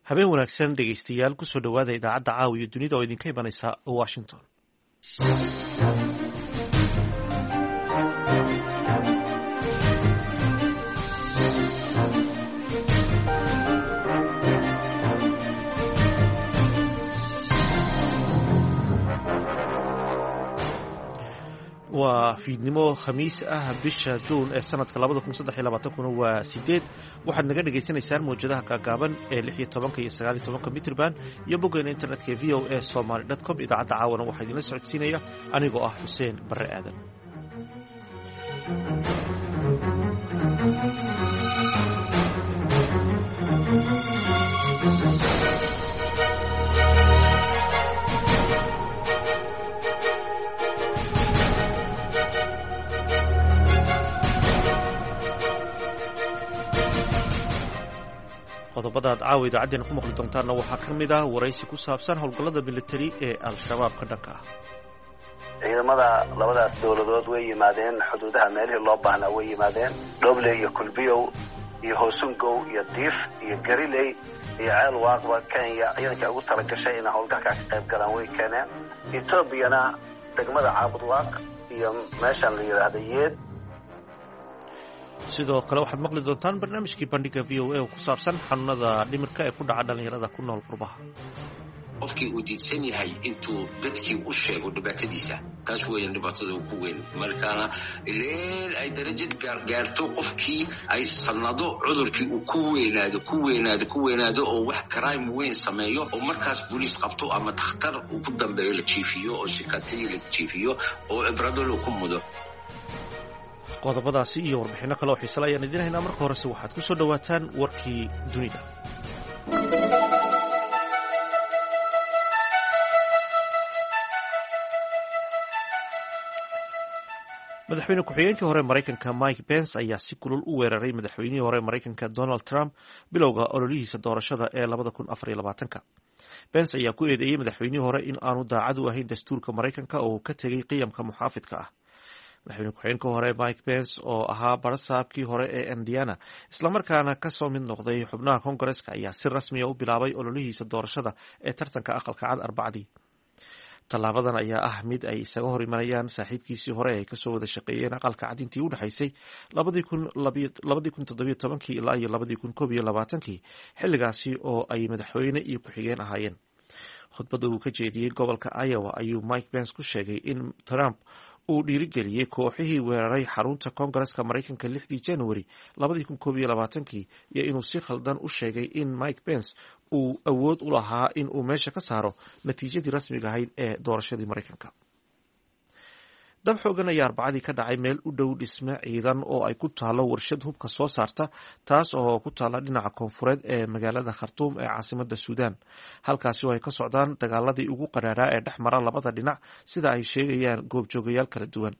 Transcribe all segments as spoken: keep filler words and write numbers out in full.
Habeen wanaagsan, dhegeystayaal. Kusoo dhowaada idaacadda Caawa iyo Dunida oo idinka imanaysa Washington. Waa fiidnimo Khamiis ah, bisha Juun ee sanadka labada kun saddex iyo labaatankuna waa sideed. Waxaad naga dhagaysanaysaan mawjadaha gaagaaban ee lix iyo tobanka iyo sagaal iyo tobanka mitrban iyo boggeena internetka ee V O A Somaly dot com. Idaacadda caawana waxaa idinla socodsiinaya anigoo ah Xuseen Barre Aadan. Qodobada aad caawa idaacaddeenna ku maqli doontaanna waxaa ka mid ah waraysi ku saabsan howlgallada militari ee Al-Shabaab ka dhanka ah. Ciidamada labadaas dowladood way yimaadeen xuduudaha, meelihii loo baahnaa way yimaadeen: Dhobley iyo Kulbiyow iyo Hoosungow iyo Diif iyo Gariley iyo Ceel Waaqba. Kenya ciidanka ugu talagashay inay howlgalkaa ka qayb galaan way keeneen. Etoobiyana degmada Caabudwaaq iyo meeshaan la yidhaahda Yeed. Sidoo kale waxaad maqli doontaan barnaamijkii Bandhiga V O A oo ku saabsan xanuunada dhimirka ee ku dhaca dhallinyarada ku nool qurbaha. Qofkii uu diidsan yahay intuu dadkii u sheego dhibaatadiisa, taas weeyaan dhibaatada ugu weyn. Markaana ileel ay darajad gaarto qofkii ay sanado cudurkii uu ku weynaado, ku weynaado, ku weynaado oo wax crime weyn sameeyo oo markaas booliis qabto ama takhtar uu ku dambeeyo, la jiifiyo oo shikatay la jiifiyo oo cibrado loo ku mudo. Qodobadaasi iyo warbixinno kale oo xiisale ayaan idiin haynaa. Marka horese waxaad ku soo dhowaataan warkii dunida. Madaxweyne ku-xigeenkii hore Maraykanka Mike Pence ayaa si kulul u weeraray madaxweynihii hore Maraykanka Donald Trump bilowga ololihiisa doorashada ee labada kun afar iyo labaatanka. Pence ayaa ku eedeeyey madaxweynihii hore in aanu daacad u ahayn dastuurka Maraykanka oo uu ka tegey qiyamka muxaafidka ah. Madaxweyne ku-xigeenka hore Mike Pence, oo ahaa barasaabkii hore ee Indiana islamarkaana kasoo mid noqday xubnaha Kongareska, ayaa si rasmiya u bilaabay ololihiisa doorashada ee tartanka Aqalka Cad Arbacdii. Tallaabadan ayaa ah mid ay isaga hor imanayaan saaxiibkiisii hore ay kasoo wada shaqeeyeen Aqalka Cad intii u dhexaysay labadii kun toddobiyo tobankii ilaa iyo labadii kun koob iyo labaatankii, xilligaasi oo ay madaxweyne iyo ku-xigeen ahaayeen. Khudbadda uu ka jeediyey gobolka Iowa ayuu Mike Pence ku sheegay in Trump uu dhiirigeliyey kooxihii weeraray xarunta Kongareska Maraykanka lixdii January labadii kun koob iyo labaatankii, iyo inuu si khaldan u sheegay in Mike Pence uu awood u lahaa in uu meesha ka saaro natiijadii rasmiga ahayd ee doorashadii Maraykanka. Dab xoogan ayaa Arbacadii ka dhacay meel u dhow dhisme ciidan oo ay ku taalo warshad hubka soo saarta, taas oo ku taala dhinaca koonfureed ee magaalada Khartuum ee caasimada Suudaan, halkaasi oo ay ka socdaan dagaaladii ugu qaraaraa ee dhex mara labada dhinac, sida ay sheegayaan goobjoogayaal kala duwan.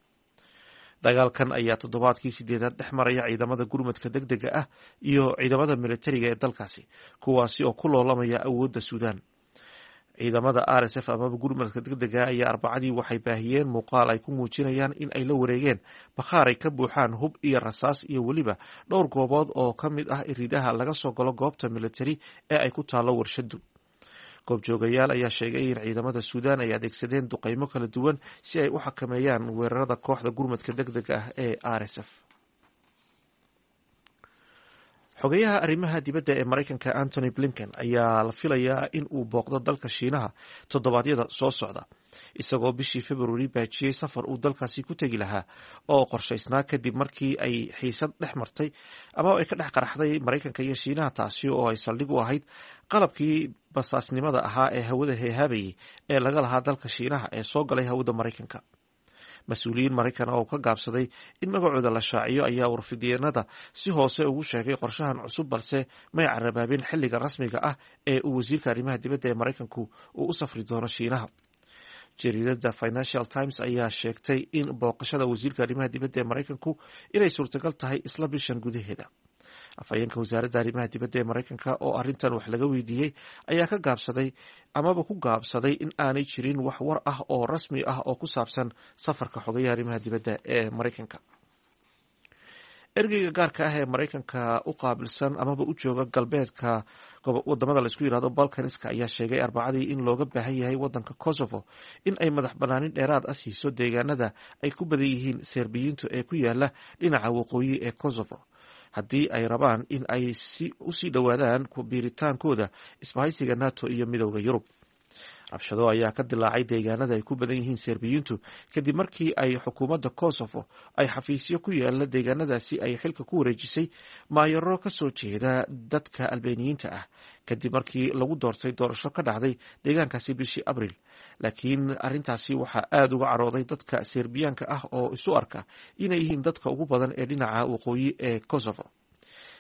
Dagaalkan ayaa toddobaadkii sideedaad dhex maraya ciidamada gurmadka deg dega ah iyo ciidamada militariga ee dalkaasi, kuwaasi oo ku loolamaya awoodda Suudaan. Ciidamada R S F amaba gurmadka degdega ayaa Arbacadii waxay baahiyeen muuqaal ay ku muujinayaan in ay la wareegeen bakhaar ay ka buuxaan hub iyo rasaas iyo weliba dhowr goobood oo ka mid ah iridaha laga soo galo goobta militari ee ay ku taallo warshadu. Goobjoogayaal ayaa sheegay in ciidamada Suudaan ay adeegsadeen duqeymo kala duwan si ay u xakameeyaan weerarada kooxda gurmadka degdega ah ee R S F. Xogeyaha arrimaha dibadda ee Maraykanka Antony Blinken ayaa la filayaa in uu booqdo dalka Shiinaha toddobaadyada soo socda, isagoo bishii Februari baajiyey safar uu dalkaasi ku tegi lahaa oo qorshaysnaa, kadib markii ay xiisad dhex martay ama ay ka dhex qaraxday Maraykanka iyo Shiinaha, taasi oo ay saldhig u ahayd qalabkii basaasnimada ahaa ee hawada heehaabayay ee laga lahaa dalka Shiinaha ee soo galay hawada Maraykanka. Mas-uuliyiin Maraykan oo ka gaabsaday in magacooda la shaaciyo ayaa warfidyenada si hoose ugu sheegay qorshahan cusub, balse may carabaabin xilliga rasmiga ah ee uu wasiirka arrimaha dibadda ee Maraykanku uu u safri doono Shiinaha. Jariidada Financial Times ayaa sheegtay in booqashada wasiirka arrimaha dibadda ee Maraykanku inay suurtagal tahay isla bishan gudaheeda. Afhayeenka wasaaradda arrimaha dibadda ee Maraykanka oo arrintan wax laga weydiiyey ayaa ka gaabsaday amaba ku gaabsaday in aanay jirin wax war ah oo rasmi ah oo ku saabsan safarka xogayaha arrimaha dibadda ee Maraykanka. Ergeyga gaarka ah ee Maraykanka u qaabilsan amaba u jooga galbeedka wadamada laisku yirahdo Balkaniska ayaa sheegay Arbacadii in looga baahan yahay wadanka Kosovo in ay madax banaanin dheeraad ah siiso deegaanada ay ku badan yihiin Serbiyiintu ee ku yaala dhinaca waqooyi ee Kosovo, haddii ay rabaan in ay usii dhowaadaan biiritaankooda isbahaysiga NATO iyo Midowda Yurub. Rabshado ayaa ka dilaacay deegaanada ay ku badan yihiin Serbiyiintu kadib markii ay xukuumadda Kosovo ay xafiisyo ku yaala deegaanadaasi ay xilka ku wareejisay maayaro ka soo jeeda dadka Albeeniyiinta ah, kadib markii lagu doortay doorasho ka dhacday deegaankaasi bishii Abriil. Laakiin arrintaasi waxaa aada uga carooday dadka Serbiyaanka ah oo isu arka inay yihiin dadka ugu badan ee dhinaca waqooyi ee Kosovo.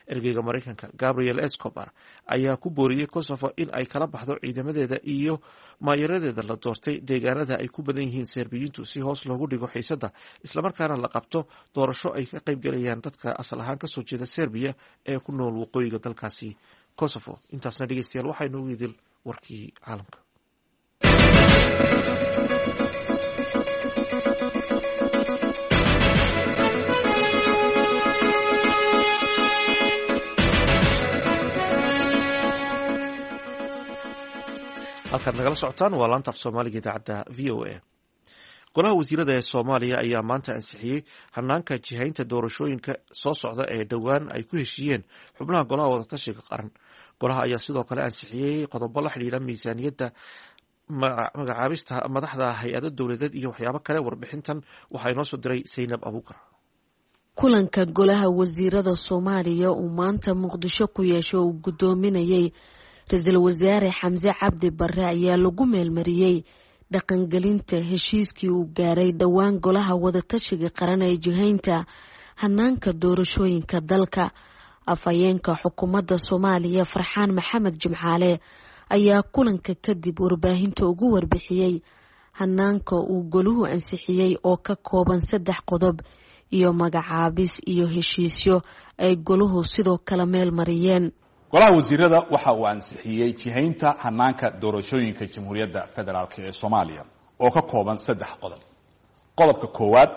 Ergeyga Maraykanka Gabriel Escobar ayaa ku booriyey Kosovo in ay kala baxdo ciidamadeeda iyo maayaradeeda la doortay deegaanada ay ku badan yihiin Serbiyiintu si hoos loogu dhigo xiisadda, islamarkaana la qabto doorasho ay ka qaybgalayaan dadka asal ahaan kasoo jeeda Serbiya ee ku nool waqooyiga dalkaasi Kosovo. Intaasna dhegeystayaal waxaa inoogu idil warkii caalamka. Halkaad nagala socotaan waa laanta af Soomaaliga idaacadda V O A. Golaha wasiirada ee Soomaaliya ayaa maanta ansixiyey hanaanka jihaynta doorashooyinka soo socda ee dhowaan ay ku heshiiyeen xubnaha Golaha Wadatashiga Qaran. Golaha ayaa sidoo kale ansixiyey qodobo la xidhiidha miisaaniyadda, magacaabista madaxda hay-ado dowladeed iyo waxyaabo kale. Warbixintan waxaa inoo soo diray Saynab Abuukar. Kulanka golaha wasiirada Soomaaliya uu maanta Muqdisho ku yeesho uu guddoominayay ra-iisul wasaare Xamse Cabdi Bare ayaa lagu meelmariyey dhaqangelinta heshiiskii uu gaaray dhowaan Golaha Wadatashiga Qaran ee jihaynta hanaanka doorashooyinka dalka. Afhayeenka xukuumadda Soomaaliya Farxaan Maxamed Jimcaale ayaa kulanka kadib warbaahinta ugu warbixiyey hanaanka uu goluhu ansixiyey oo ka kooban saddex qodob iyo magacaabis iyo heshiisyo ay goluhu sidoo kale meel mariyeen. Golaha wasiirada waxa uu ansixiyey jihaynta hanaanka doorashooyinka Jamhuuriyadda Federaalk ee Soomaaliya oo ka kooban saddex qodob. Qodobka koowaad,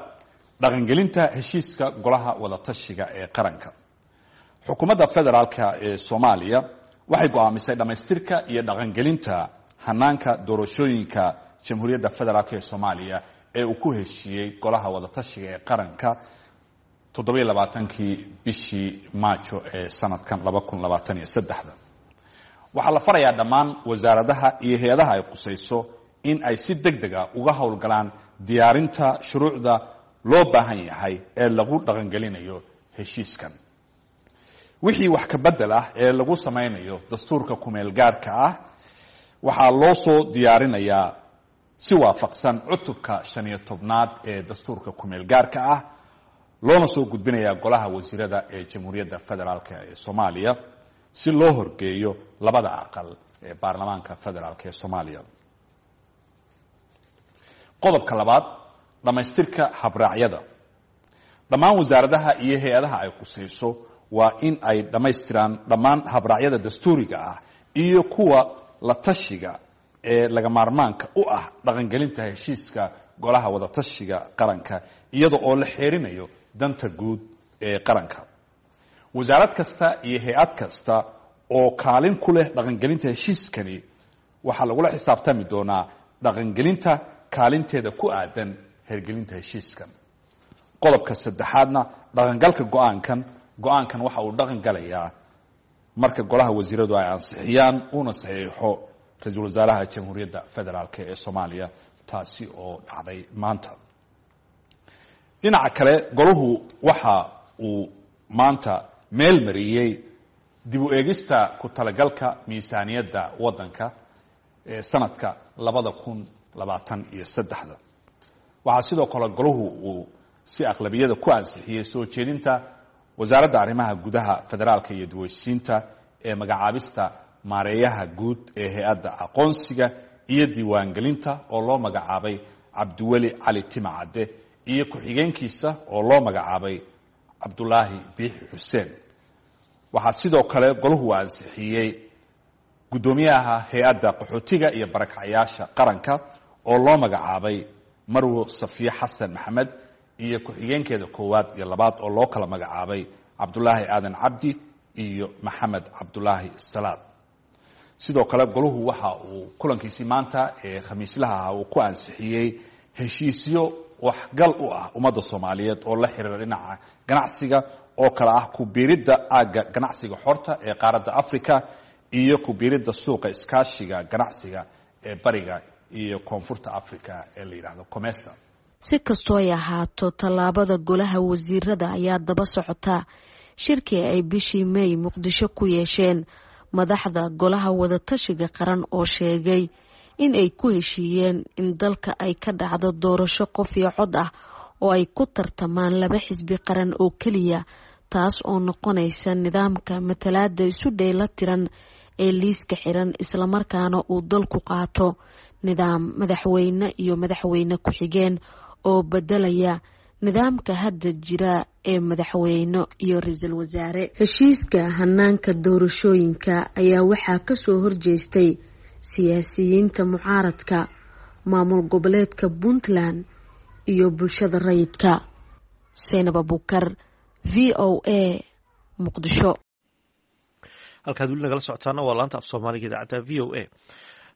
dhaqangelinta heshiiska Golaha Wadatashiga ee Qaranka. Xukuumadda Federaalka ee Soomaaliya waxay go'aamisay dhammaystirka iyo dhaqangelinta hanaanka doorashooyinka Jamhuuriyadda Federaalk ee Soomaaliya ee uu ku heshiiyey Golaha Wadatashiga ee Qaranka toddobiyo labaatankii bishii Maajo ee sanadkan laba kun labaatan iyo saddexda. Waxaa la farayaa dhammaan wasaaradaha iyo hay-adaha ay qusayso in ay si deg deg a uga howlgalaan diyaarinta shuruucda loo baahan yahay ee lagu dhaqangelinayo heshiiskan. Wixii wax ka bedel ah ee lagu samaynayo dastuurka kumeel gaarka ah waxaa loo soo diyaarinayaa si waafaqsan cutubka shan iyo tobnaad ee dastuurka kumeel gaarka ah, loona soo gudbinayaa Golaha Wasiirada ee Jamhuuriyadda Federaalk ee Soomaaliya si loo horgeeyo labada aqal ee baarlamaanka federaalk ee Soomaaliya. Qodobka labaad, dhammaystirka habraacyada. Dhammaan wasaaradaha iyo hay-adaha ay qusayso waa in ay dhammaystiraan dhammaan habraacyada dastuuriga ah iyo kuwa la tashiga ee laga maarmaanka u ah dhaqangelinta heshiiska Golaha Wadatashiga Qaranka, iyada oo la xeerinayo danta guud ee qaranka. Wasaarad kasta iyo hay-ad kasta oo kaalin ku leh dhaqangelinta heshiiskani waxaa lagula xisaabtami doonaa dhaqangelinta kaalinteeda ku aadan hergelinta heshiiskan. Qodobka saddexaadna, dhaqangalka go-aankan. Go-aankan waxa uu dhaqan galayaa marka golaha wasiiradu ay ansixiyaan uuna saxiixo ra-iisul wasaaraha Jamhuuriyadda Federaalk ee Soomaaliya, taasi oo dhacday maanta. Dhinaca kale, golahu waxa uu maanta meel mariyey dib u eegista ku talagalka miisaaniyadda waddanka ee sanadka labada kun labaatan iyo saddexda. Waxaa sidoo kale golahu uu si aqlabiyada ku ansixiyey soo jeedinta Wasaaradda Arrimaha Gudaha, Federaalka iyo Dib-u-heshiisiinta ee magacaabista maareeyaha guud ee hay-adda aqoonsiga iyo diiwaangelinta oo loo magacaabay Cabdiweli Cali Timacadde iyo ku-xigeenkiisa oo loo magacaabay Cabdulaahi Biixi Xuseen. Waxaa sidoo kale golahu ansixiyey guddoomiyaha hay-adda qaxootiga iyo barakacyaasha qaranka oo loo magacaabay Marwo Safiye Xasan Maxamed iyo ku-xigeenkeeda koowaad iyo labaad oo loo kala magacaabay Cabdulaahi Aadan Cabdi iyo Maxamed Cabdulaahi Salaad. Sidoo kale goluhu waxa uu kulankiisii maanta ee khamiislaha ah uu ku ansixiyey heshiisyo waxgal u ah ummadda Soomaaliyeed oo la xiriira dhinaca ganacsiga oo kale ah ku biiridda aagga ganacsiga xorta ee qaaradda Afrika iyo ku biiridda suuqa iskaashiga ganacsiga ee bariga iyo koonfurta Afrika ee la yidhaahdo COMESA. Si kastoo ay ahaato, tallaabada golaha wasiirada ayaa daba socota shirkii ay bishii May Muqdisho ku yeesheen madaxda golaha wadatashiga qaran oo sheegay in ay ku heshiiyeen in dalka ay ka dhacdo doorasho qof iyo cod ah oo ay ku tartamaan laba xisbi qaran oo keliya, taas oo noqonaysa nidaamka matalaada isu dheela tiran ee liiska xiran, islamarkaana uu dalku qaato nidaam madaxweyne iyo madaxweyne ku-xigeen oo bedelaya nidaamka hadda jira ee madaxweyne iyo ra-iisul wasaare. Heshiiska hanaanka doorashooyinka ayaa waxaa kasoo horjeestay siyaasiyiinta mucaaradka, maamul goboleedka Puntland iyo bulshada rayidka. Seynab Abuukar, V O A, Muqdisho. Halkaad weli nagala socotaana waa laanta af Soomaaliga idaacadda V O A.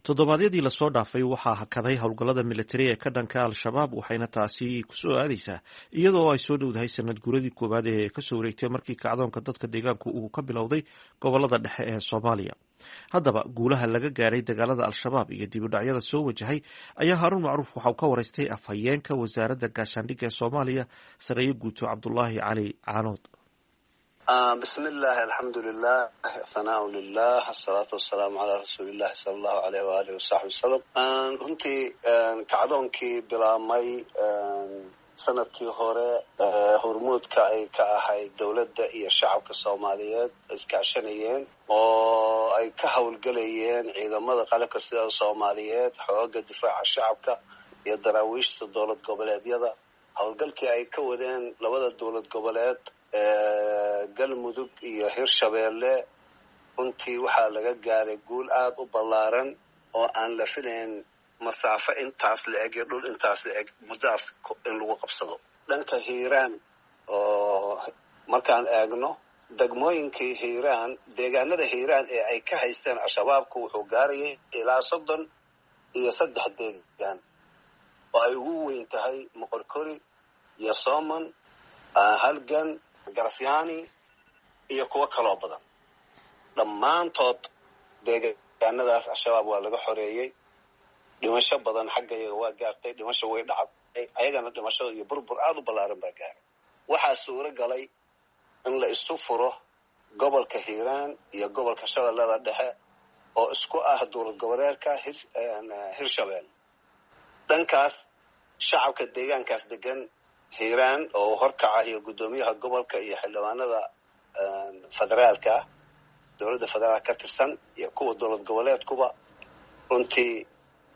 Toddobaadyadii lasoo dhaafay waxaa hakaday howlgallada militari ee ka dhanka Al-Shabaab, waxayna taasi kusoo aadaysaa iyadoo ay soo dhowdahay sanad guuradii koowaad ee kasoo wareegtay markii kacdoonka dadka deegaanku uu ka bilowday gobolada dhexe ee Soomaaliya. Haddaba guulaha laga gaaray dagaalada Al-Shabaab iyo dibudhacyada soo wajahay ayaa Haaruun Macruuf waxa uu ka waraystay afhayeenka wasaaradda gaashaandhigga ee Soomaaliya, sareeye guuto Cabdulaahi Cali Caanood. Bismi illaahi, alxamdulilah, thanaa lilah, asalaatu wasalaamu calaa rasuulillahi sala allahu aleyh waalihi wasaxbi wasalam. Runtii kacdoonkii bilaabmay sanadkii hore, hormuudka ay ka ahayd dowladda iyo shacabka Soomaaliyeed iskaashanayeen oo ay ka howlgelayeen ciidamada qalabka sida Soomaaliyeed, xooga difaaca shacabka iyo daraawiishta dowlad goboleedyada, howlgalkii ay ka wadeen labada dowlad goboleed Galmudug iyo Hirshabeelle, runtii waxaa laga gaaray guul aada u ballaaran oo aan la filayn, masaafo intaas la eg iyo dhul intaas la eg muddaas in lagu qabsado. Dhanka Hiiraan oo markaan eegno degmooyinkii Hiiraan, deegaanada Hiiraan ee ay ka haysteen Al-Shabaabku wuxuu gaarayay ilaa soddon iyo saddex deegaan oo ay ugu weyn tahay Moqorkori iyo Sooman, Halgan, Garasyaani iyo kuwo kaloo badan. Dhammaantood deegaanadaas Al-Shabaab waa laga xoreeyey. Dhimasho badan xagga iyaga waa gaartay, dhimasho way dhacday, ayagana dhimasho iyo burbur aada u ballaaran baa gaaray. Waxaa suuro galay in la isu furo gobolka Hiiraan iyo gobolka Shabeellada Dhexe oo isku ah dowlad goboleedka Hirshabelle. Dhankaas shacabka deegaankaas degan Hiiraan oo horkaca iyo guddoomiyaha gobolka iyo xildhibaanada federaalka, dowladda federaalka ka tirsan iyo kuwa dowlad goboleedkuba, runtii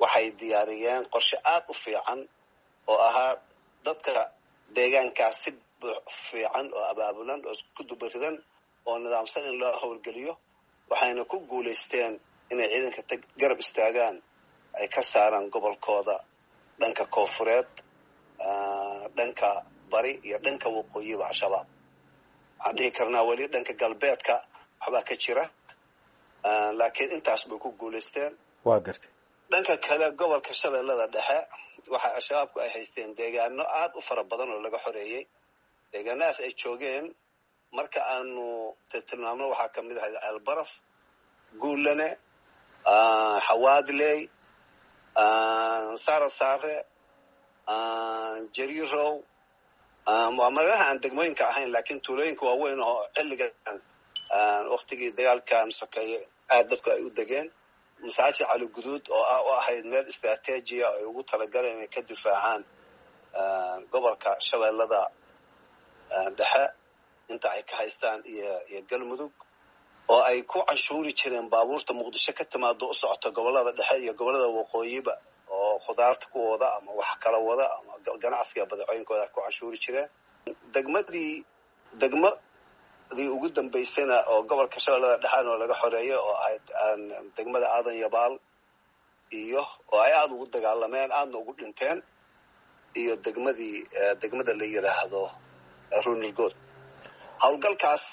waxay diyaariyeen qorshe aada u fiican oo ahaa dadka deegaankaas si fiican oo abaabulan oo isku dubaridan oo nidaamsan in loo howlgeliyo. Waxayna ku guulaysteen inay ciidanka garab istaagaan, ay ka saaraan gobolkooda dhanka koonfureed, dhanka bari iyo dhanka waqooyiba Al-Shabaab. Waxaan dhihi karnaa weli dhanka galbeedka waxbaa ka jira, laakiin intaas bay ku guulaysteen. Waa gartay. Dhanka kale gobolka Shabeellada Dhexe waxa Al-Shabaabku ay haysteen deegaano aada u fara badan oo laga xoreeyey. Deegaanadaas ay joogeen marka aanu tilmaamno waxaa kamid ahayd Ceelbaraf, Guulane, Xawaadley, Saara Saare, Jariirow. Waa magaalaha aan degmooyinka ahayn laakiin tuulooyinka waaweyn oo xilligan waktigii dagaalkan sokeeye aad dadku ay u degeen. Masaajid Cali Guduud oo ah u ahayd meel istraatiijiya ay ugu talagaleen inay ka difaacaan gobolka Shabeellada Dhexe inta ay ka haystaan iyo iyo Galmudug, oo ay ku canshuuri jireen baabuurta Muqdisho ka timaado u socota gobolada dhexe iyo gobolada waqooyiba oo khudaarta ku wada ama wax kala wada ama ganacsiga badeecooyinkooda ku canshuuri jireen. Degmadii degmadii ugu dambaysayna oo gobolka Shabeellada Dhexena oo laga xoreeyay oo ahayd degmada Aadan Yabaal iyo oo ay aada ugu dagaalameen aadna ugu dhinteen, iyo degmadii degmada la yidhaahdo Runirgood. Howlgalkaas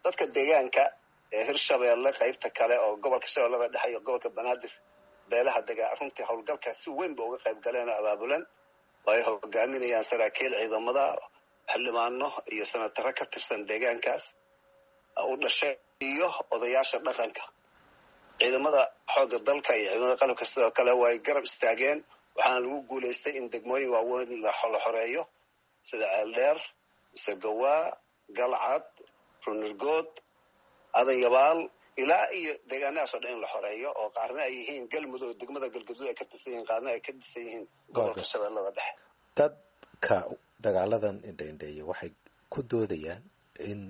dadka deegaanka ee Hirshabeelle qaybta kale oo gobolka Shabeellada Dhexe iyo gobolka Banaadir beelaha degaa runtii howlgalkaas si weyn ba uga qayb galeen oo abaabulan oo ay hogaaminayaan saraakiil ciidamada, xildhibaano iyo sanataro ka tirsan deegaankaas u dhashay iyo odayaasha dhaqanka. Ciidamada xoogga dalka iyo ciidamada qalabka sidoo kale way garab istaageen, waxaana lagu guulaystay in degmooyin waaweyn la xoreeyo sida Ceeldheer, Masagawaa, Galcad, Runirgood, Adanyabaal ilaa iyo deegaanadaas oo dhan in la xoreeyo, oo qaarna ay yihiin Galmudug, degmada Galgaduud ay ka tirsan yihiin, qaarna ay ka tirsan yihiin gobolka Shabeellada Dhexe. Dadka dagaaladan indhaindheeya waxay ku doodayaan in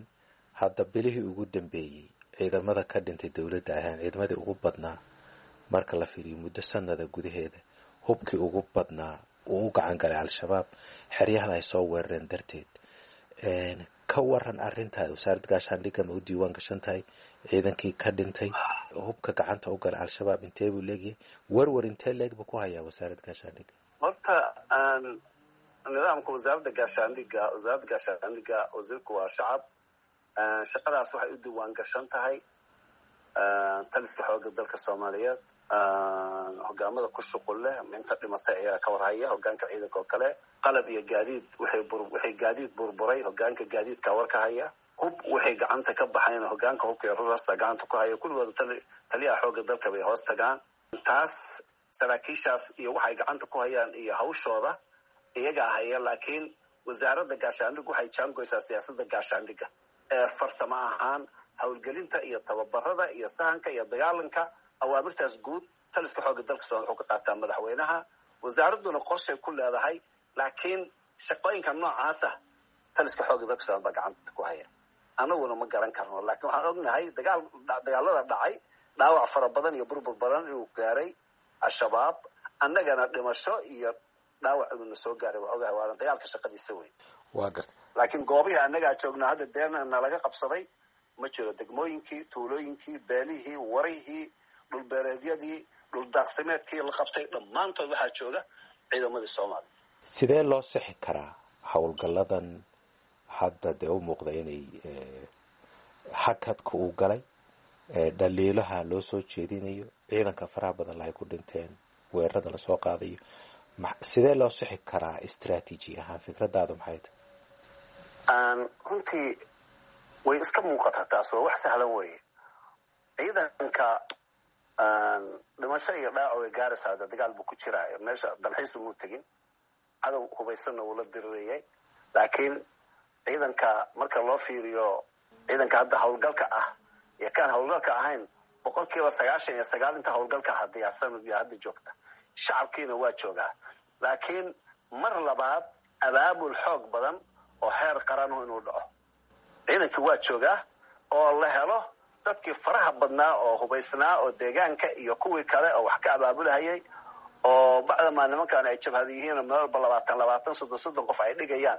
hadda bilihii ugu dambeeyey ciidamada ka dhintay dowladda ahaan ciidamadii ugu badnaa marka la fiiriyo muddo sanada gudaheeda, hubkii ugu badnaa uu u gacan galay Al-Shabaab, xeryahan ay soo weerareen darteed. Ka waran arrintaa, wasaaradda gaashaandhigga ma u diiwaan gashan tahay ciidankii ka dhintay, hubka gacanta u galay Al-Shabaab intee buu leegyahay, werwer intee leeg buu ku hayaa wasaaradda gaashaandhigga? Horta nidaamka wasaaradda gaashaandhigga, wasaaradda gaashaandhigga wasiirku waa shacab. Shaqadaas waxay u diiwaan gashan tahay taliska xoogga dalka Soomaaliyeed, hogaamada ku shuqul leh inta dhimatay ayaa ka warhaya, hogaanka ciidanka oo kale, qalab iyo gaadiid waxay bur waxay gaadiid burburay hogaanka gaadiidka war ka haya, hub waxay gacanta ka baxayn hogaanka hubka iyo rurasta gacanta ku haya, kulligood taliyaha xoogga dalka bay hoos tagaan. Taas saraakiishaas iyo waxay gacanta ku hayaan iyo hawshooda iyagaa haya, laakiin wasaaradda gaashaandhigga waxay jaangoysaa siyaasadda gaashaandhigga ee farsamo ahaan howlgelinta iyo tababarada iyo sahanka iyo dagaalanka. Awaamirtaas guud taliska xoogga dalka Soomaaliya wuxuu ka qaataa madaxweynaha, wasaaradduna qorshay ku leedahay, laakiin shaqooyinka noocaasa taliska xoogga dalka Soomaaliya baa gacanta ku haya. Anaguna ma garan karno, laakiin waxaan ognahay dagaal dagaalada dhacay dhaawac fara badan iyo burbur badan inuu gaaray Al-Shabaab, annagana dhimasho iyo dhaawac inuuna soo gaaray waa ogahay, waana dagaalka shaqadiisa wey. Waa garta. Laakiin goobihii annagaa joognaa hadda deena nalaga qabsaday ma jiro, degmooyinkii, tuulooyinkii, beelihii, warihii, dhulbeereedyadii, dhuldaaqsimeedkii la qabtay dhammaantood waxaa jooga ciidamadii Soomaaliya. Sidee loo sixi karaa howlgalladan hadda dee u muuqda inay hakadka uu galay, dhaliilaha loo soo jeedinayo, ciidanka faraha badan lahay ku dhinteen, weerarada lasoo qaadayo, sidee loo sixi karaa istraatiiji ahaan? Fikradaadu maxay tahay? Runtii way iska muuqataa, taas waa wax sahlan weeye. Ciidanka dhimasho iyo dhaawac way gaaraysaa, de dagaal buu ku jiraa, meesha dalxiis umuu tegin, cadow hubaysanna wuu la dirirayay. Laakiin ciidanka marka loo fiiriyo ciidanka hadda howlgalka ah iyo kaan howlgalka ahayn, boqol kiiba sagaashan iyo sagaal inta howlgalka ah diyaarsan iyo hadda joogta, shacabkiina waa joogaa. Laakiin mar labaad abaabul xoog badan oo heer qaranu inuu dhaco, ciidankii waa joogaa oo la helo dadkii faraha badnaa oo hubaysnaa oo deegaanka iyo kuwii kale oo wax ka abaabulahayay, oo bacdamaa nimankan ay jabhada yihiin oo meel walba labaatan labaatan soddon soddon qof ay dhigayaan,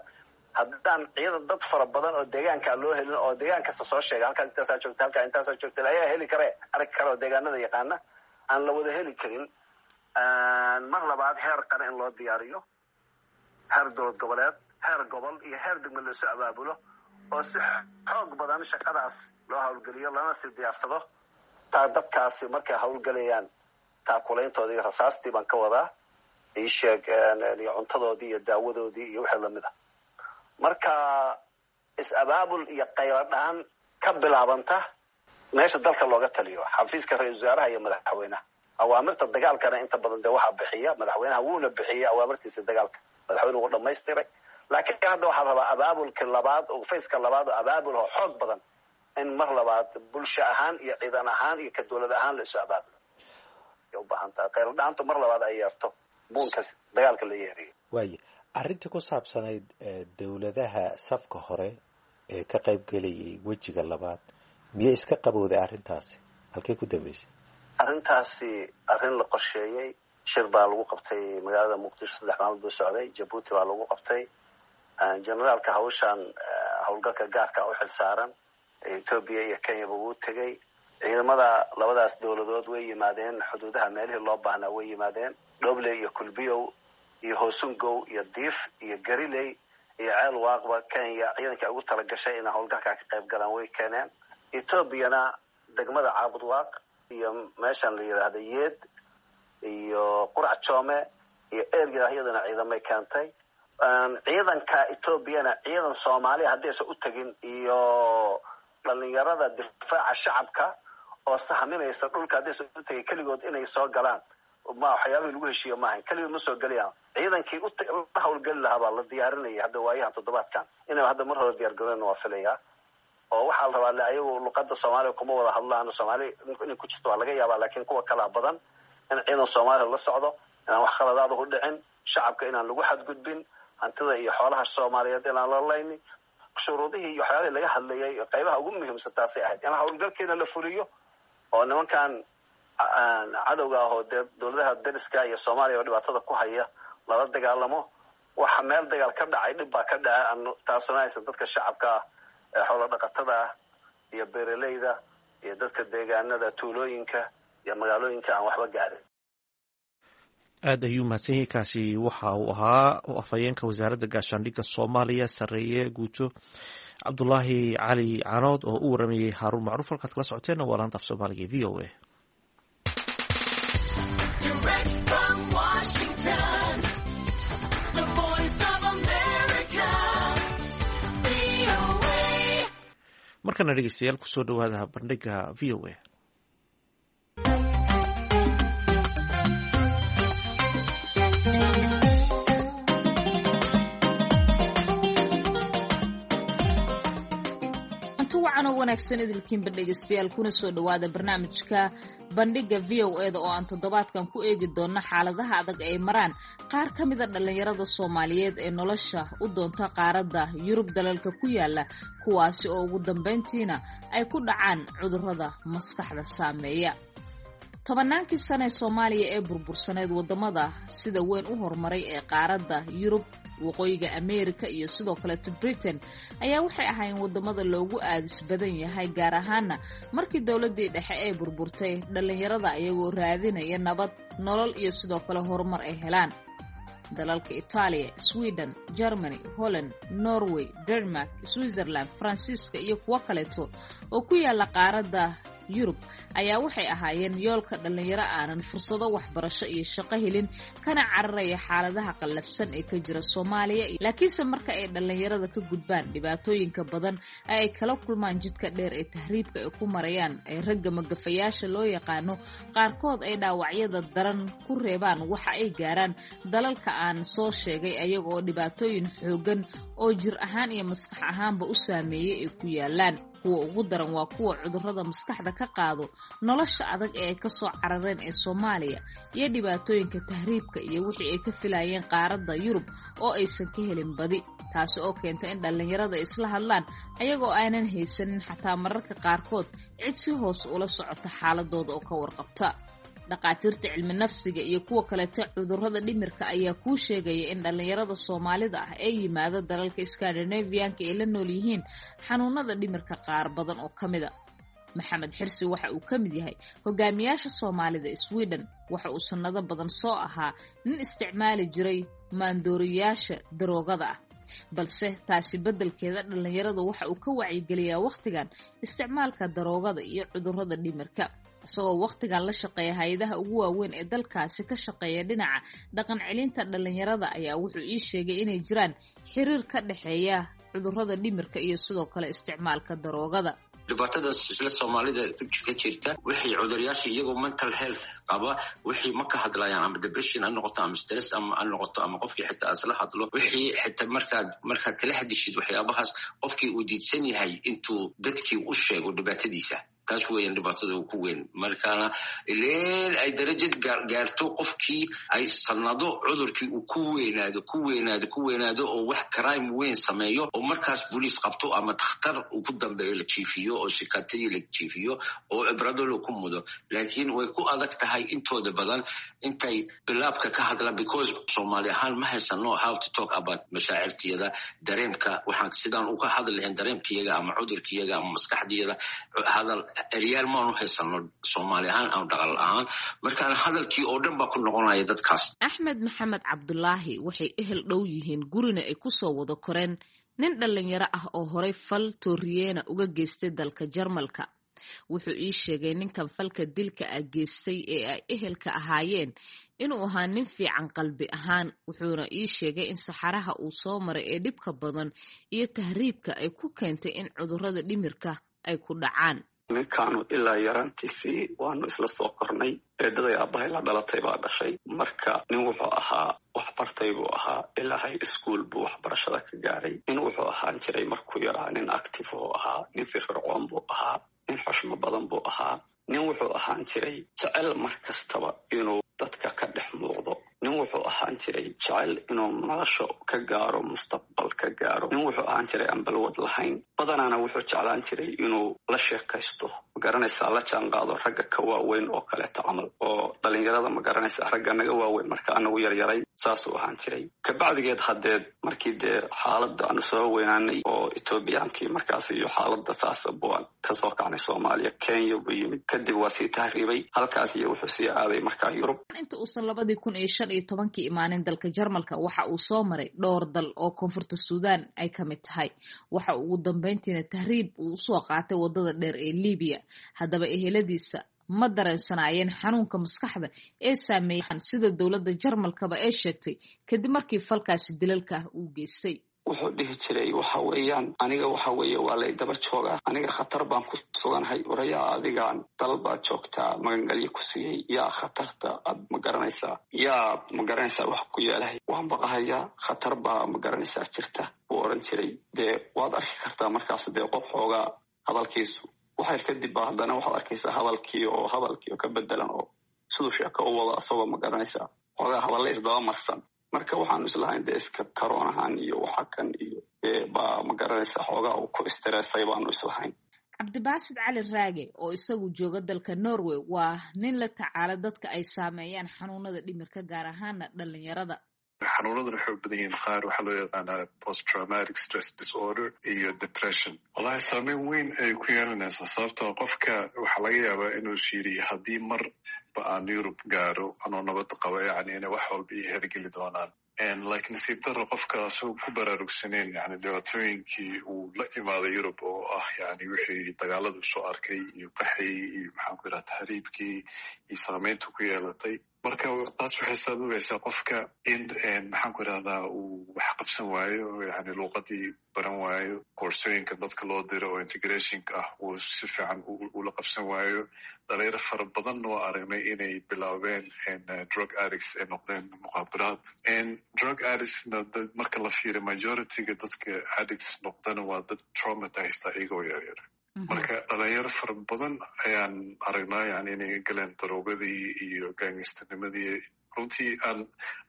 haddaan ciidan dad fara badan oo deegaanka loo helin oo deegaan kasta soo sheega halkaas intaasaa joogta, halkaa intaasaa joogta, ayaa heli kare arki kare oo deegaanada yaqaana aan la wada heli karin. Mar labaad heer qaran in loo diyaariyo, heer dowlad goboleed, heer gobol iyo heer degmo lasoo abaabulo oo si xoog badan shaqadaas loo howlgeliyo lana sii diyaarsado. Taa dadkaasi markay howlgelayaan taakulayntoodii iyo rasaastii baan ka wadaa, ii sheeg iyo cuntadoodii iyo daawadoodii iyo wixii lamid ah. Marka is-abaabul iyo qayladhaan ka bilaabanta meesha dalka looga taliyo, xafiiska ra-iisul wasaaraha iyo madaxweynaha. Awaamirta dagaalkana inta badan dee waxaa bixiya madaxweynaha, wuuna bixiyay awaamirtiisa dagaalka, madaxweynuhu wuu dhamaystiray. Laakiin hadda waxaa rabaa abaabulka labaad oo fayska labaad oo abaabul oo xoog badan in mar labaad bulsho ahaan iyo ciidan ahaan iyo ka dowlad ahaan la isu abaabulo ay u baahan tahay, qayladhaantu mar labaad ay yeerto buunka dagaalka la yeeriyo. Waaya, arrintii ku saabsanayd dowladaha safka hore ee ka qayb gelayay wejiga labaad miyay iska qabowday arrintaasi? Halkay ku dambeysay arrintaasi? Arrin la qorsheeyey, shir baa lagu qabtay magaalada Muqdisho, saddex maalmood buu socday, Jabuuti baa lagu qabtay. Generaalka hawshan howlgalka gaarka u xil saaran Etoobiya iyo Kenyaba wuu tegey. Ciidamada labadaas dowladood way yimaadeen xuduudaha meelihii loo baahnaa way yimaadeen, Dhoble iyo Kulbiyow iyo Hoosungow iyo Diif iyo Gariley iyo Ceel Waaqba Kenya ciidanka ugu talagashay inay howlgalkaa ka qayb galaan way keeneen. Etoobiyana degmada Caabudwaaq iyo meeshan la yidhaahda Yeed iyo Qurac Joome iyo erga iyadana ciidamay keentay. Ciidanka Etoobiyana ciidan Soomaaliya haddaysan u tagin iyo dhalinyarada difaaca shacabka oo sahminaysa dhulka haddaysan u tagin keligood inay soo galaan ma waxyaabihii lagu heshiiyo maahan, keligood ma soo gelayaan. Ciidankii la hawlgeli lahaa baa la diyaarinaya hadda waayahan toddobaadkan inay hadda mar hore diyaar garoon waa filayaa. Oo waxaa la rabaa le ayagu luqada Soomaaliya kuma wada hadlaan, Soomaali inay ku jirto waa laga yaabaa, laakiin kuwa kalaa badan in ciidan Soomaaliya la socdo, inaan wax khaladaada u dhicin, shacabka inaan lagu xadgudbin, hantida iyo xoolaha Soomaaliyeed inaan la laynin. Shuruudihii iyo waxyaabihii laga hadlayay qaybaha ugu muhiimsan taasay ahayd in howlgalkeena la fuliyo oo nimankan cadowga ah oo dee dowladaha dariska iyo Soomaaliya oo dhibaatada ku haya lala dagaalamo. Waxa meel dagaal ka dhacay dhib baa ka dhacay, taasuna aysan dadka shacabka ah ee xoolo dhaqatada ah iyo beeraleyda iyo dadka deegaanada tuulooyinka iyo magaalooyinka aan waxba gaarin. Aad ayuu mahadsan yahay. Kaasi waxa uu ahaa afhayeenka wasaaradda gaashaandhigga Soomaaliya sarreeye guuto Cabdulaahi Cali Canood oo u waramayey Haaruun Macruuf. Halkaad kala socoteenna waa laanta af Soomaaliga e V O A. Markana dhegeystayaal kusoo dhawaada bandhiga V O A. Wanaagsan idilkiinba dhegeystayaal, kuna soo dhawaada barnaamijka bandhiga V O E da oo aan toddobaadkan ku eegi doonno xaaladaha adag ay maraan qaar ka mida dhallinyarada Soomaaliyeed ee nolosha u doonta qaaradda Yurub dalalka ku yaala, kuwaasi oo ugu dambeyntiina ay ku dhacaan cudurrada maskaxda saameeya. Tobannaankii sane ee Soomaaliya ee burbursaneed, waddamada sida weyn u horumaray ee qaaradda Yurub, waqooyiga Ameerika iyo sidoo kaleto Britain ayaa waxay ahaayeen waddamada loogu aadis badan yahay, gaar ahaana markii dowladdii dhexe ee burburtay dhallinyarada iyagoo raadinaya nabad, nolol iyo sidoo kale horumar ay helaan. Dalalka Itaaliya, Sweden, Germany, Holland, Norway, Denmark, Switzerland, Faransiiska iyo kuwo kaleeto oo ku yaala qaaradda Yurub ayaa waxay ahaayeen yoolka dhallinyaro aanan fursado waxbarasho iyo shaqo helin, kana cararaya xaaladaha qallafsan ee ka jira Soomaaliya. Laakiinse marka ay dhallinyarada ka gudbaan dhibaatooyinka badan ee ay kala kulmaan jidka dheer ee tahriibka ay ku marayaan, ee ragga magafayaasha loo yaqaano qaarkood ay dhaawacyada daran ku reebaan, waxa ay gaaraan dalalka aan soo sheegay ayaga oo dhibaatooyin xooggan oo jir ahaan iyo maskax ahaanba u saameeyey ay ku yaalaan. Kuwa ugu daran waa kuwa cudurrada maskaxda ka qaado nolosha adag ee ay ka soo carareen ee Soomaaliya iyo dhibaatooyinka tahriibka iyo wixii ay ka filayeen qaaradda Yurub oo aysan ka helin badi, taasi oo keenta in dhallinyarada isla hadlaan ayagoo aanan haysanin xataa mararka qaarkood cid si hoos ula socota xaaladooda oo ka warqabta. Dhaqaatiirta cilmi nafsiga iyo kuwa kalete cudurrada dhimirka ayaa kuu sheegaya in dhallinyarada Soomaalida ah ee yimaada dalalka Scandinavianka ay la nool yihiin xanuunada dhimirka qaar badan oo ka mid a. Maxamed Xirsi waxa uu ka mid yahay hogaamiyaasha Soomaalida Sweden. Waxa uu sannado badan soo ahaa nin isticmaali jiray maandooriyaasha daroogada ah, balse taasi beddelkeeda dhallinyarada waxa uu ka wacyigeliyaa wakhtigan isticmaalka daroogada iyo cudurrada dhimirka, isagoo wakhtigan la shaqeeya hay-adaha ugu waaweyn ee dalkaasi ka shaqeeya dhinaca dhaqan celinta dhallinyarada. Ayaa wuxuu ii sheegay inay jiraan xiriir ka dhexeeya cudurrada dhimirka iyo sidoo kale isticmaalka daroogada. Dhibaatadaas isla Soomaalida ka jirta, wixii cuduryaasha iyagoo mental health qaba wixii ma ka hadlayaan, ama depression ha noqoto ama stress ama ha noqoto ama qofkii xitaa isla hadlo, wixii xitaa markaad markaad kala hadishid waxyaabahaas qofkii uu diidsan yahay intuu dadkii u sheego dhibaatadiisa. Taas weeyaan dhibaatada ku weyn. Markaana ileen ay darajad gaarto qofkii ay sanado cudurkii uu ku weynaado ku weynaado ku weynaado oo wax crime weyn sameeyo oo markaas booliis qabto ama takhtar uu ku dambeeyo la jiifiyo oo sikatadii la jiifiyo oo cibrado loo ku mudo. Laakiin way ku adag tahay intooda badan intay bilaabka ka hadlaan, because Soomaali ahaan ma haysano how to talk about mashaacirtiyada dareemka. Waxaan sidaan uga hadli lahayn dareemkiyaga ama cudurkiyaga ama maskaxdiyada hadal Eryaal maanu haysano Soomaali ahaan ama dhaqan ahaan. Markaana hadalkii oo dhan baa ku noqonaya dadkaas. Axmed Maxamed Cabdulaahi waxay ehel dhow yihiin, gurina ay kusoo wada koreen nin dhallinyaro ah oo horay fal tooriyeena uga geystay dalka Jarmalka. Wuxuu ii sheegay ninkan falka dilka ah geystay ee ay ehelka ahaayeen inuu ahaa nin fiican qalbi ahaan, wuxuuna ii sheegay in saxaraha uu soo maray ee dhibka badan iyo tahriibka ay ku keentay in cudurrada dhimirka ay ku dhacaan. Ninkaanu ilaa yaraantiisii waanu isla soo kornay. Eedaday aabbahay la dhalatay baa dhashay. Marka nin wuxuu ahaa waxbartay buu ahaa, ilaahay iskuol buu waxbarashada ka gaaray. Nin wuxuu ahaan jiray markuu yaraa nin active oo ahaa, nin firfircoon buu ahaa, nin xushmo badan buu ahaa. Nin wuxuu ahaan jiray jecel mar kastaba inuu dadka ka dhex muuqdo. Nin wuxuu ahaan jiray jecel inuu nolosha ka gaaro, mustaqbal ka gaaro. Nin wuxuu ahaan jiray aan balwad lahayn. Badanaana wuxuu jeclaan jiray inuu la sheekaysto, magaranaysaa, la jaanqaado ragga ka waaweyn oo kaleeta camal, oo dhalinyarada, magaranaysaa, ragga naga waaweyn marka anagu yaryaray, saasuu ahaan jiray. Kabacdigeed haddeed markii dee xaaladda aanu soo weynaanay oo Etoobiyaankii markaas iyo xaaladda saasa buan kasoo kacnay Soomaaliya, Kenya buu yimid, kadib waa sii tahriibay halkaas iyo wuxuu sii aaday markaa Yurub. Inta uusan labadii kun iyo shan iyo tobankii imaanin dalka Jarmalka, waxa uu soo maray dhowr dal oo koonfurta Suudaan ay ka mid tahay. Waxa uu ugu dambeyntiina tahriib uu usoo qaatay waddada dheer ee Liibiya. Haddaba eheladiisa ma dareensanaayeen xanuunka maskaxda ee saameeyay, sida dowladda Jarmalkaba ee sheegtay kadib markii falkaasi dilalka ah uu geystay? Wuxuu dhihi jiray, waxa weeyaan, aniga waxa weeye waa lay daba joogaa, aniga khatar baan ku suganahay. Orayaa, adigaan dal baad joogtaa magangalyo ku siiyey, yaa khatarta aad ma garanaysaa, yaa ma garanaysaa wax ku yeelahay, waan baqahayaa, khatar baa ma garanaysaa jirta, buu oran jiray. Dee waad arki kartaa markaas dee qof xoogaa hadalkiisu waxyar kadib ba haddana waxaad arkaysaa hadalkii oo hadalkii oo ka bedelan oo siduu sheeko u wado, asagoo ma garanaysaa xoogaa hadalle isdaba marsan. Marka waxaanu islahayn dee iska karoonahan iyo waxa kan iyo baa ma garanaysaa xoogaa uu ku istireesay baanu islahayn. Cabdibaasid Cali Raage oo isagu jooga dalka Norway waa nin la tacaala dadka ay saameeyaan xanuunada dhimirka, gaar ahaana dhalinyarada. Xanuunadan waxay u badan yihiin qaar waxaa loo yaqaanaa post traumatic stress disorder iyo depression. Wallahi saameyn weyn ayay ku yeelanaysaa, sababtoo qofka waxaa laga yaabaa inuu shiiriyo haddii marba aan Yurub gaaro anoo nabad qaba, yani inay wax walba iyo hergeli doonaan. Laakiin nasiib daro qofka asagoo ku baraarugsaneyn yani dhibaatooyinkii uu la imaaday Yurub oo ah yani wixii dagaaladu soo arkay iyo qaxii iyo maxaan ku yidhaha tahriibkii iyo saameynta ku yeelatay. Marka taas waxay sababaysaa qofka in maxaan ku idhahdaa uu wax qabsan waayo, yani luuqadii baran waayo, koorsooyinka dadka loo diro oo integrationka ah uu si fiican ula qabsan waayo. Dhalinyaro fara badan oo aragnay inay bilaabeen drug addicts ay noqdeen, muqaabiraad drug addictsna. Marka la fiiriyo majorityga dadka addicts noqdana waa dad traumatized iyagoo yaryar. Marka dhalinyaro fara badan ayaan aragnaa yani inay galeen daroogadii iyo gangsternimadii. Runtii aan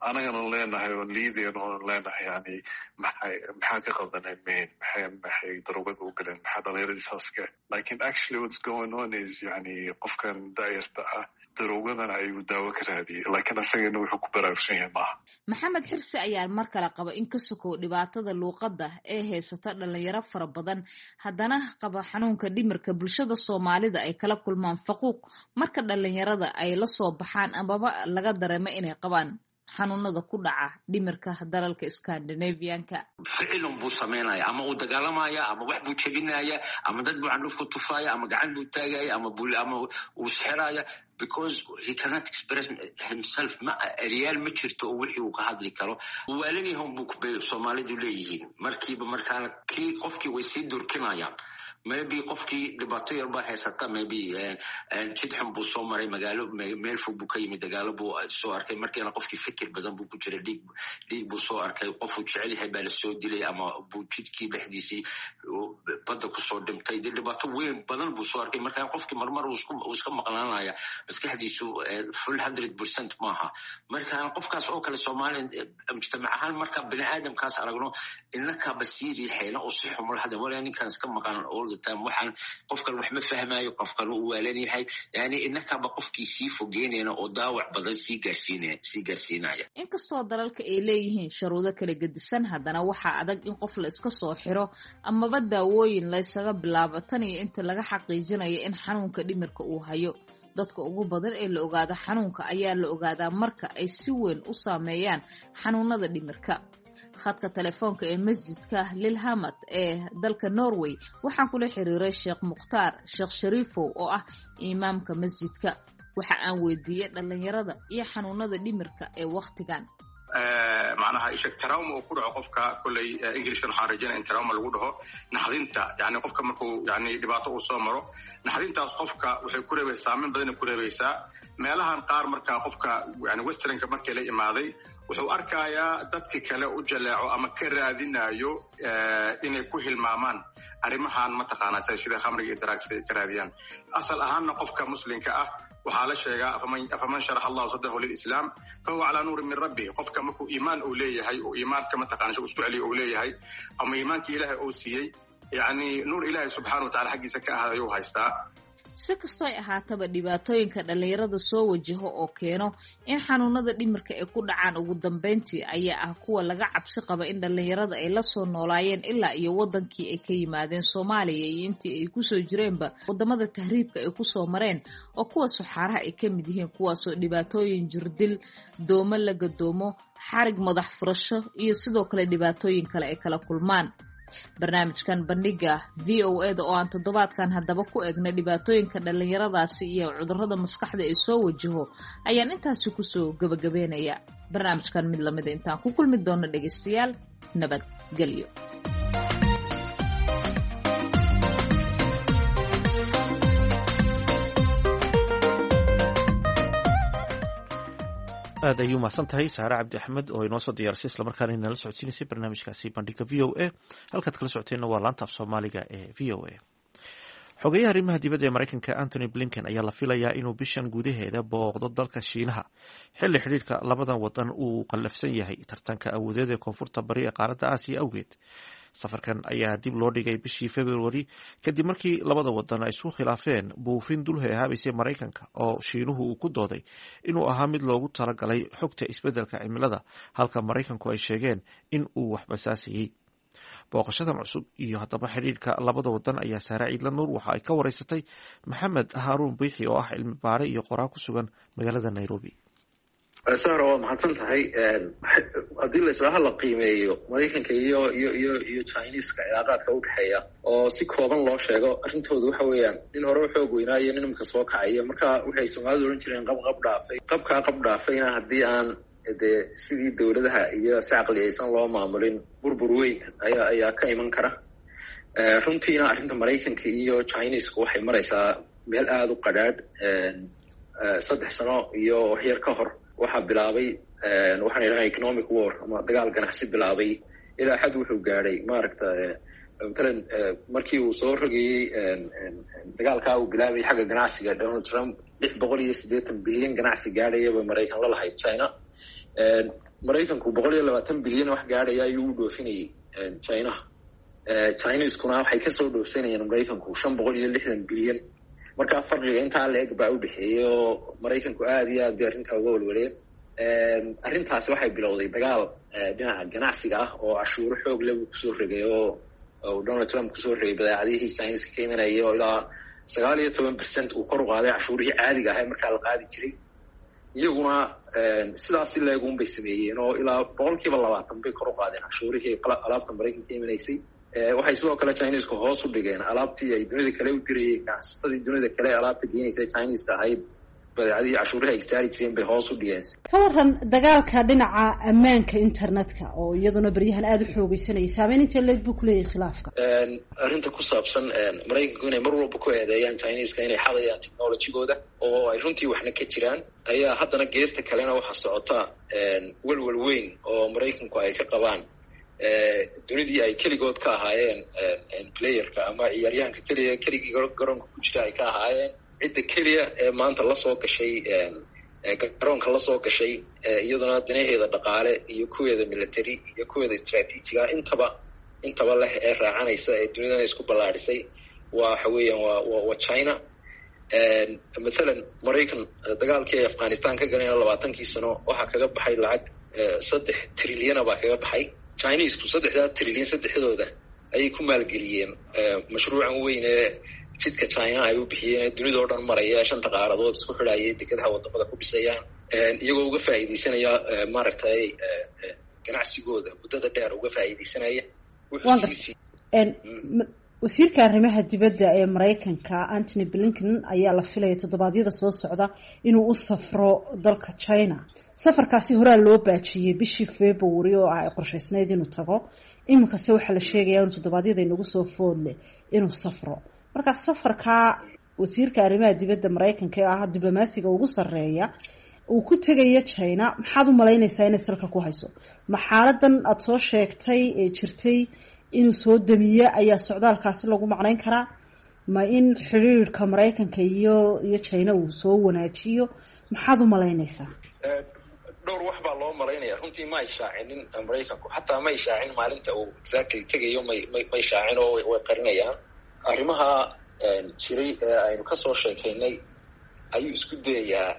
anagana leenahay oon liidayn oon leenahay yani maxay maxaa ka qaldanay main maxay maxay daroogada u galeen, maxaa dhalinyaradii saaska. Lakin actually what's going on is yani qofkan daayarta ah daroogadan ayuu daawo ka raadiyay, laakiin asagana wuxuu ku baraarugsan yahay maaha. Maxamed Xirsi ayaa mar kale qaba in ka sokow dhibaatada luuqadda ee haysata dhalinyaro fara badan haddana qaba xanuunka dhimirka, bulshada Soomaalida ay kala kulmaan faquuq marka dhalinyarada ay la soo baxaan amaba laga dareemo inay qabaan xanuunada ku dhaca dhimirka dalalka Scandinavianka. Ficilun buu samaynaya, ama uu dagaalamaya, ama wax buu jebinaya, ama dad buu candhuf ku tufaya, ama gacan buu taagaya, ama ama uu sixiraya, because he cannot express himself. Ma eryaal ma jirto oo wixii uu ka hadli karo. Waalanyahan buu bay Soomaalidu leeyihiin markiiba. Markaana kii qofkii way sii durkinayaan. Maybe qofkii dhibaato yar baa haysata, maybe jid xun buu soo maray, magaalo meel fog buu ka yimid, dagaalo buu soo arkay. Markiina qofkii fikir badan buu ku jiray, dhiig dhiig buu soo arkay, qofuu jecel yahay baa lasoo dilay ama buu jidkii dhexdiisii badda kusoo dhintay. Dee dhibaato weyn badan buu soo arkay. Markaa qofkii marmar uu iska maqnaanaya, maskaxdiisu full hundred percent maaha. Marka qofkaas oo kale Soomaaliya mujtamac ahaan marka bini aadamkaas aragno inakaba sii riixayna oo si xumul hada walaa ninkan iska maqan all the time, waxaan qofkan wax ma fahmayo, qofkan uu waalan yahay, yani inakaba qofkii sii fogeynayna oo daawac badan sii gaarsiinaya sii gaarsiinaya. Inkastoo dalalka ay leeyihiin sharuudo kala gedisan, haddana waxaa adag in qof la iska soo xiro amaba daawooyin dawooyin laysaga bilaabo tan iyo inta laga xaqiijinayo in xanuunka dhimirka uu hayo. Dadka ugu badan ee la ogaada xanuunka ayaa la ogaadaa marka ay si weyn u saameeyaan xanuunada dhimirka. Khadka telefoonka ee masjidka Lilhamad ee dalka Norway waxaan kula xiriiray Sheekh Mukhtaar Sheekh Shariifow oo ah imaamka masjidka. Waxa aan weydiiyey dhalinyarada iyo xanuunada dhimirka ee wakhtigan. Macnaha isheg trauma uu ku dhaco qofka kolley Englishkan waxaan rajaynaya in trauma lagu dhaho naxdinta, yani qofka markuu yani dhibaato uu soo maro, naxdintaas qofka waxay ku reebaysaa saameyn badanay ku reebaysaa meelahan qaar. Marka qofka yani westernka markii la imaaday wuxuu arkayaa dadki kale u jaleeco ama ka raadinayo inay ku hilmaamaan arrimahan mataqaanaa sida khamriga iyo drugs ay ka raadiyaan. Asal ahaanna qofka muslimka ah waxaa la sheegaa afaman sharaxa allahu sadrahu lilislaam fahuwa calaa nuurin min rabbih. Qofka markuu iimaan uu leeyahay oo iimaanka mataqana isku celiyo uu leeyahay ama iimaankii ilaahay uu siiyey, yacni nuur ilaahay subxaana wa tacala xaggiisa ka ahaaday ayuu haystaa. Si kastoo ay ahaataba, dhibaatooyinka dhallinyarada soo wajaho oo keeno in xanuunada dhimirka ay ku dhacaan ugu dambeyntii ayaa ah kuwa laga cabsi qaba in dhallinyarada ay la soo noolaayeen ilaa iyo wadankii ay ka yimaadeen Soomaaliya iyo intii ay kusoo jireenba wadamada tahriibka ay kusoo mareen, oo kuwa suxaaraha ay ka mid yihiin, kuwaasoo dhibaatooyin jirdil, doomo la gadoomo, xarig madax furasho iyo sidoo kale dhibaatooyin kale ay kala kulmaan. Barnaamijkan bandhiga V O E da oo aan toddobaadkan haddaba ku eegna dhibaatooyinka dhallinyaradaasi iyo cudurrada maskaxda ee soo wajaho ayaan intaasi kusoo gabagabeynaya. Barnaamijkan mid lamida intaan ku kulmi doono dhegaystayaal, nabadgelyo. Aad ayuu mahadsan tahay Saare Cabdi Axmed oo inoo soo diyaarisay islamarkaana inala socodsiinaysay barnaamijkaasi bandhiga V O A. Halkaad kala socoteenna waa laanta af Soomaaliga ee V O A. Xogeyaha arrimaha dibadda ee Maraykanka Antony Blinken ayaa la filayaa inuu bishan gudaheeda booqdo dalka Shiinaha, xilli xidhiidhka labadan wadan uu qallafsan yahay tartanka awoodeed ee koonfurta bari ee qaaradda Aasiya awgeed. Safarkan ayaa dib loo dhigay bishii Februari kadib markii labada wadan ay isku khilaafeen buufin dul heehaabaysay Maraykanka oo Shiinuhu uu ku dooday inuu ahaa mid loogu talagalay xogta isbeddelka cimilada, halka Maraykanku ay sheegeen in uu wax basaasayey. Booqashadan cusub iyo haddaba xidhiidhka labada wadan ayaa Saare Ciidla Nuur waxa ay ka wareysatay Maxamed Haaruun Biixi oo ah cilmi baare iyo qoraa ku sugan magaalada Nairobi. Sahra, waa mahadsan tahay. Haddii la islaha la qiimeeyo Maraykanka iyo iyo iyo iyo Chineska cilaaqaadka udhexeeya oo si kooban loo sheego, arrintooda waxa weeyaan nin hore u xoog weynaayo nin imika soo kacaya. Marka waxay Soomaalidu odhan jireen qab qab dhaafay, qabkaa qab dhaafayna haddii aan dee sidii dowladaha iyo si caqliyaysan loo maamulin, burbur weyn ayaa ayaa ka iman kara. Runtiina arrinta Maraykanka iyo Chinesku waxay maraysaa meel aada u qadhaadh. Saddex sano iyo waxyar ka hor waxaa bilaabay waxaan idhaha economic war ama dagaal ganacsi bilaabay. Ilaa xad wuxuu gaadhay maaragta matalan markii uu soo rogayey dagaalkaa uu bilaabay xagga ganacsiga Donald Trump, lix boqol iyo siddeetan bilyan ganacsi gaadhaya bay Maraykan la lahayd China. Maraykanku boqol iyo labaatan bilyan wax gaadhaya ayuu u dhoofinayay Chinaha, Chineskuna waxay kasoo dhoofsanayeen Maraykanku shan boqol iyo lixdan bilyan. Marka farqiga intaa la-eg baa udhexeeyey oo Maraykanku aada iyo aad bay arrintaa uga walwaleen. Arrintaasi waxay bilowday dagaal dhinaca ganacsiga ah oo cashuuro xoog leh buu kusoo rogay oo Donald Trump kusoo rogay badeecadihii Chineska ka imanayay, oo ilaa sagaal iyo toban percent uu kor u qaaday cashuurihii caadiga ahay markaa la qaadi jiray. Iyaguna sidaas si leegun bay sameeyeen oo ilaa boqol kiiba labaatan bay kor u qaadeen cashuurihii alaabta Maraykanka ka imanaysay. Waxay sidoo kale Chinesku hoos u dhigeen alaabtii ay dunida kale u dirayeen, ganacsatadii dunida kale alaabta geenaysa Chineska ahayd, badeecadihii cashuurihii ay saari jireen bay hoos u dhigeen. Ka waran dagaalka dhinaca ammaanka internetka oo iyaduna beryahan aada u xoogeysanayay, saameyn intee leeg buu kuleeyahay khilaafka? Arrinta ku saabsan Maraykanku inay mar walba ku eedeeyaan Chineska inay xadayaan technologygooda oo ay runtii waxna ka jiraan ayaa haddana geesta kalena waxaa socota welwel weyn oo Maraykanku ay ka qabaan dunidii ay keligood ka ahaayeen playerka ama ciyaaryahanka keliya keligii garoonka ku jira ay ka ahaayeen. Cidda keliya ee maanta lasoo gashay garoonka lasoo gashay, iyaduna danaheeda dhaqaale iyo kuweeda military iyo kuweeda istraatiijiga intaba intaba leh ee raacanaysa ee dunidana isku ballaadhisay waa waxa weeyaan waa wa waa China. Mathalan Maraykan dagaalkii ay Afghanistan ka galeen labaatankii sano waxaa kaga baxay lacag saddex trilyana baa kaga baxay. Chinesku saddexdaa trilyan saddexdooda ayay ku maalgeliyeen mashruucan weyn ee jidka China ay u bixiyeen dunida oo dhan maraya, shanta qaaradood isku xidhayay, dekedaha wadamada ku dhisayaan, iyagoo uga faa'iidaysanaya maaragtay ganacsigooda muddada dheer uga faa'iidaysanaya. Wasiirka arrimaha dibadda ee Mareykanka Antony Blinken ayaa la filaya toddobaadyada soo socda inuu u safro dalka China. Safarkaasi horaa loo baajiyey bishii February oo ay qorshaysnayd inuu tago, iminkase waxaa la sheegayaa inuu toddobaadyada inagu soo foodle inuu safro. Marka safarka wasiirka arrimaha dibadda Mareykanka ee ah diblomaasiga ugu sarreeya uu ku tegayo China, maxaad u malaynaysaa inay salka ku hayso? Ma xaaladan aada soo sheegtay ee jirtay inuu soo damiye ayaa socdaalkaasi lagu macnayn karaa? Ma in xiriirka Mareykanka iyo iyo China uu soo wanaajiyo? Maxaad u malaynaysaa? Dhowr wax baa loo malaynaya. Runtii ma ay shaacinin Mareykanku, xataa ma ay shaacin maalinta uu exactly tegayo, may may may shaacin oo way qarinayaan. Arrimaha jiray ee aynu kasoo sheekaynay ayuu isku dayayaa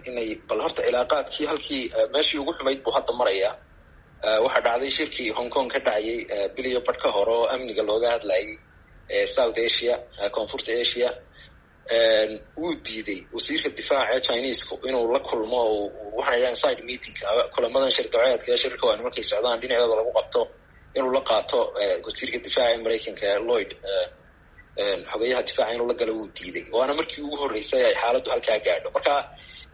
inay bal horta cilaaqaadkii halkii meeshii ugu xumayd buu hadda marayaa. Waxaa dhacday shirkii Hong Kong ka dhacayay biliyo badh ka hore oo amniga looga hadlayay South Asia, Koonfurta Asia. Wuu diiday wasiirka difaaca ee Chinesku inuu la kulmo, waxaan idhahan side meeting, kulamadan shir daceedka ee shirka waa markay socdaan dhinacooda lagu qabto, inuu la qaato wasiirka difaaca ee Mareykanka Lloyd, xogeyaha difaaca inuu la galo wuu diiday. Waana markii ugu horreysay ay xaaladdu halkaa gaadho. Marka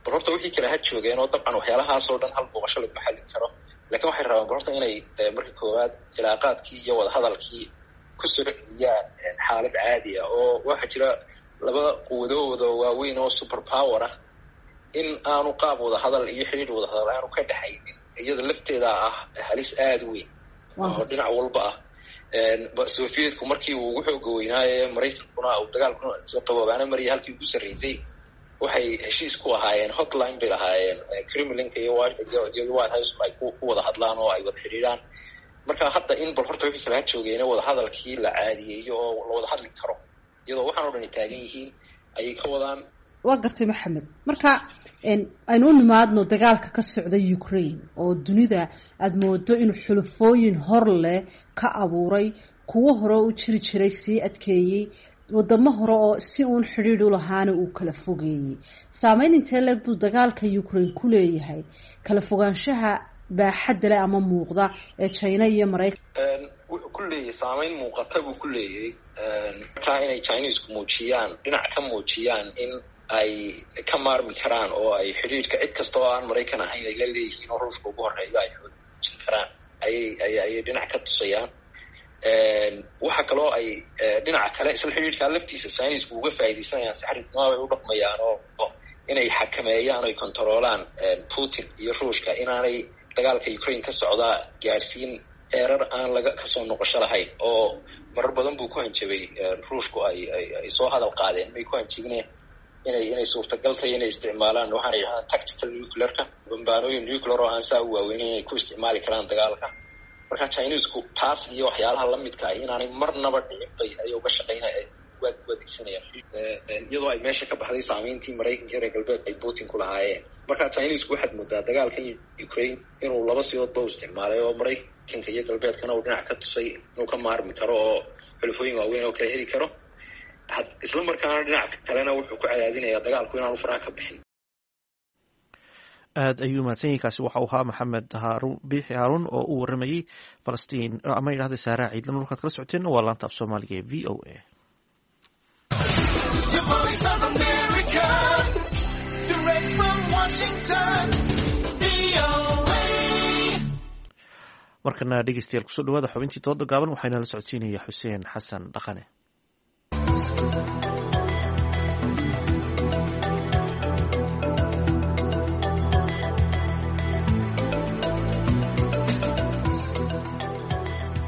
bal horta wixii kale ha joogeen oo dabcan waxyaalahaasoo dhan hal booqasho laguma xallin karo, lakin waxay rabaan bal horta inay marka koowaad cilaaqaadkii iyo wadahadalkii ku soo celiyaan xaalad caadi ah. Oo waxaa jira laba quwadooda waaweyn oo super power ah in aanu qaab wadahadal iyo xidhiidh wadahadal aanu ka dhexaynin, iyada lafteeda ah halis aada weyn oo dhinac walba ah. Sovietku markii uu ugu xooga weynaaye Maraykankuna uu dagaalkuna qaboobaana mariyay halkii ugu sarreysay, waxay heshiis ku ahaayeen, hotline bay lahaayeen Kremlinka iyo iyo White House ay ku wada hadlaan oo ay wada xidhiidhaan. Marka hadda in bal horta wixii kala joogeena wadahadalkii la caadiyeeyo oo la wada hadli karo iyadoo waxaan oo dhan ay taagan yihiin ayay ka wadaan. Waa gartay Maxamed. Marka aynu u nimaadno dagaalka ka socda Ukraine oo dunida aada moodo inuu xulufooyin hor leh ka abuuray, kuwo hore u jiri jiray sii adkeeyey, wadamo hore oo si uun xidhiidh u lahaana uu kala fogeeyey. Saameyn intee leeg buu dagaalka Ukraine ku leeyahay kala fogaanshaha baaxadda leh ama muuqda ee China iyo Maraykan? Wuxuu ku leeyahay saameyn muuqata buu ku leeyahay. Markaa inay Chinesku muujiyaan, dhinac ka muujiyaan in ay ka maarmi karaan oo ay xidhiidhka cid kasta oo aan Maraykan ahayn ay la leeyihiin oo Ruushka ugu horreeyo ay xoojin karaan ayay ay ayay dhinac ka tusayaan. Waxa kaloo ay dhinaca kale isla xidhiidhkaa laftiisa Chinesku uga faa'iidaysanayaan, si xariifnimo bay u dhaqmayaan oo inay xakameeyaan oy kontaroolaan Putin iyo Ruushka inaanay dagaalka Ukraine ka socdaa gaadhsiin heerar aan laga kasoo noqosho lahayn. Oo marar badan buu ku hanjabay Ruushku, ay ay ay soo hadal qaadeen, may ku hanjabineen inay inay suurtagal tahay inay isticmaalaan waxaana yidhahdaan tactical nuclearka, bambaanooyin nuclear oo aan saa u waaweynin inay ku isticmaali karaan dagaalka. Marka Chinesku taas iyo waxyaalaha lamidka ah inaanay marnaba dhicin bay ayay uga shaqeynaya u adeegsanayaan, iyadoo ay meesha ka baxday saameyntii Maraykanka reer galbeed ay Putin ku lahaayeen. Marka Chinesku waxaad moodaa dagaalkan Ukraine inuu laba sidoodba u isticmaalay, oo Maraykanka iyo galbeedkana uu dhinac ka tusay inuu ka maarmi karo oo xulufooyin waaweyn oo kala heli karo, isla markaana dhinac kalena wuxuu ku cadaadinayaa dagaalku inaanu faraha ka bixin. Aad ayuu mahadsan yahay. Kaasi waxa uu ahaa Maxamed Haarun Biixi Haaruun oo u waramayey Falastiin ama yidhahda Saaraa Ciidlan. Warkaad kala socoteen waa laanta af Soomaaliga ee V O A. Markana dhegeystayaal kusoo dhawaada xubintii dooda gaaban, waxaana la socodsiinaya Xuseen Xasan Dhaqane.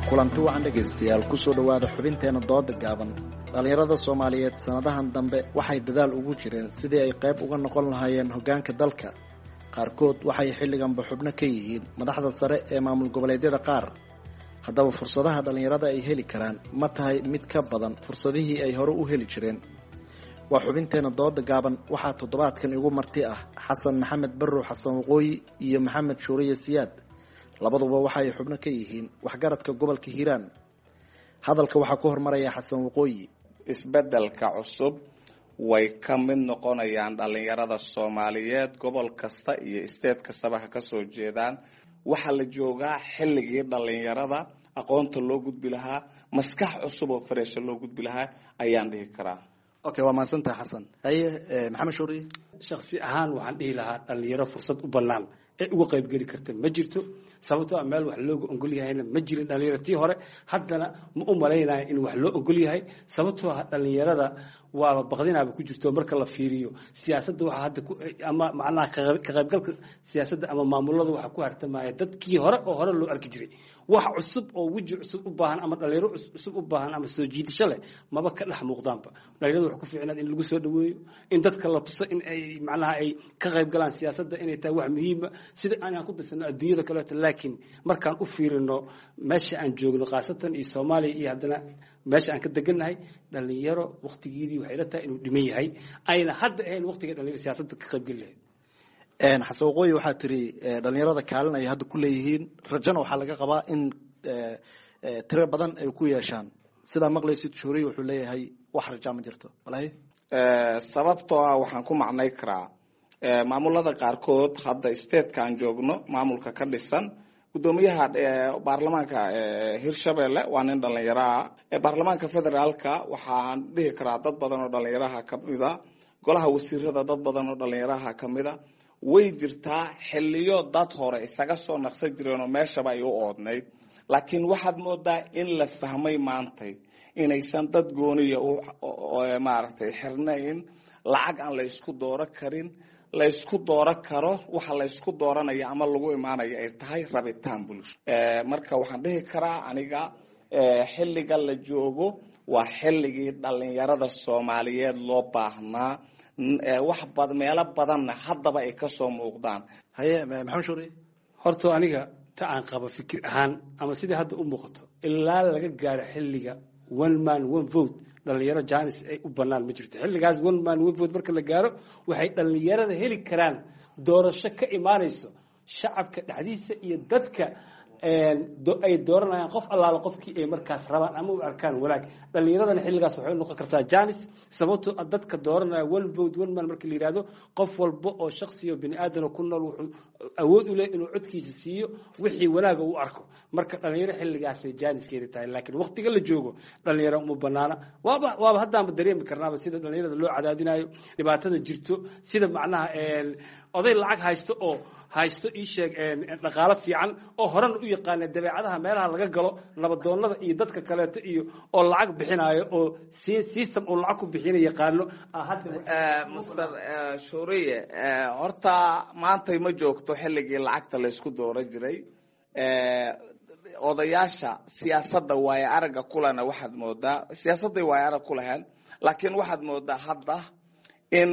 Kulanti wacan dhegaystayaal, kusoo dhowaada xubinteena dooda gaaban. Dhallinyarada Soomaaliyeed sanadahan dambe waxay dadaal ugu jireen sidii ay qayb uga noqon lahaayeen hoggaanka dalka. Qaarkood waxay xilliganba xubno ka yihiin madaxda sare ee maamul goboleedyada qaar. Haddaba fursadaha dhallinyarada ay heli karaan ma tahay mid ka badan fursadihii ay hore u heli jireen? Waa xubinteena dooda gaaban. Waxaa toddobaadkan igu marti ah Xasan Maxamed Barrow Xasan Waqooyi iyo Maxamed Shuuriye Siyaad. Labaduba waxa ay xubno ka yihiin waxgaradka gobolka Hiiraan. Hadalka waxaa ku hormaraya Xasan Waqooyi. Isbedelka cusub way ka mid noqonayaan dhalinyarada Soomaaliyeed, gobol kasta iyo state kastaba ha ka soo jeedaan. Waxaa la joogaa xilligii dhalinyarada aqoonta loo gudbi lahaa, maskax cusub oo fareesha loo gudbi lahaa ayaan dhihi karaa. Okay, waa mahadsantahay Xasan. Haye Maxamed Shuuriye. Shakhsi ahaan waxaan dhihi lahaa dhalinyaro fursad u bannaan ee uga qaybgeli karta ma jirto, sababtoo ah meel wax looga ogol yahayna ma jirin dhalinyaro tii hore, haddana ma u malaynayo in wax loo ogol yahay, sababtoo ah dhalinyarada waaba baqdinaaba ku jirto. Marka la fiiriyo siyaasadda waxa hadda ama macnaha ka qaybgalka siyaasadda ama maamulada waxa ku hartamaya dadkii hore oo hore loo arki jiray. Wax cusub oo weji cusub u baahan ama dhalinyaro cusub u baahan ama soo jiidasho leh maba ka dhex muuqdaanba. Dhalinyaradu waxa ku fiicnaad in lagu soo dhaweeyo, in dadka la tuso in ay macnaha ay ka qayb galaan siyaasadda, inay tahay wax muhiima sida aan ku darsano adduunyada kaleeto. Laakiin markaan u fiirino meesha aan joogno khaasatan iyo Soomaaliya iyo haddana meesha aan ka degannahay, dhalinyaro waqtigeedii waxay la tahay inuu dhiman yahay, ayna hadda ahayn waqtiga dhalinyaro siyaasadda ka qaybgeli lahayd. Xasan Waqooyi, waxaa tiri dhalinyarada kaalin ay hadda ku leeyihiin, rajana waxaa laga qabaa in tiro badan ay ku yeeshaan. Sidaa maqlaysid Shuuriye wuxuu leeyahay wax rajaa ma jirto. Walahi sababtoo ah waxaan ku macnay karaa maamulada qaarkood hadda stateka aan joogno maamulka ka dhisan, gudoomiyaha baarlamaanka Hirshabelle waa nin dhalinyaraha. Baarlamaanka federaalka waxaan dhihi karaa dad badan oo dhalinyaraha kamida, golaha wasiirada dad badan oo dhalinyaraha kamida. Way jirtaa xiliyo dad hore isaga soo naqsan jireen oo meeshaba ay u oodnayd, laakiin waxaad moodaa in la fahmay maantay inaysan dad gooniya maaragtay xirnayn, lacag aan la isku dooro karin, la isku dooro karo waxa la isku dooranaya ama lagu imaanaya ay tahay rabitaan bulsho. Marka waxaan dhihi karaa aniga xilliga la joogo waa xilligii dhalinyarada Soomaaliyeed loo baahnaa, wax bad meelo badanna haddaba ay kasoo muuqdaan. Haye Maxamed Shuuriye. Horta aniga ta aan qabo fikir ahaan ama sidai hadda u muuqato, ilaa laga gaaro xilliga one man one vote dhalinyaro janis ay u bannaan ma jirto. Xilligaas one man one vote marka la gaaro, waxay dhalinyarada heli karaan doorasho ka imaanayso shacabka dhexdiisa iyo dadka ay dooranayaan qof allaala qofkii ay markaas rabaan ama u arkaan wanaag. Dhalinyaradana xilligaas waxay u noqon kartaa janis, sababtoo ah dadka dooranaya one vote one man marka la yidhaahdo, qof walba oo shakhsi oo bini aadan ku nool wuxuu awood u leeyahay inuu codkiisa siiyo wixii wanaaga uu arko. Marka dhalinyaro xilligaasay jaaniskeeda tahay, laakiin waqtiga la joogo dhalinyaro uma banaana. Waaba waaba haddaanba dareemi karnaaba sida dhalinyarada loo cadaadinayo, dhibaatada jirto, sida macnaha oday lacag haysto oo haysto ii sheeg dhaqaalo fiican oo horena u yaqaana dabeecadaha meelaha laga galo nabadoonnada iyo dadka kaleeto iyo oo lacag bixinayo oo system uu lacag ku bixina yaqaano. Mister Shuuriye, horta maantay ma joogto xilligii lacagta la isku dooran jiray. Odayaasha siyaasadda waayo aragga kulena waxaad moodaa siyaasadday waayo arag ku laheen, laakiin waxaad moodaa hadda in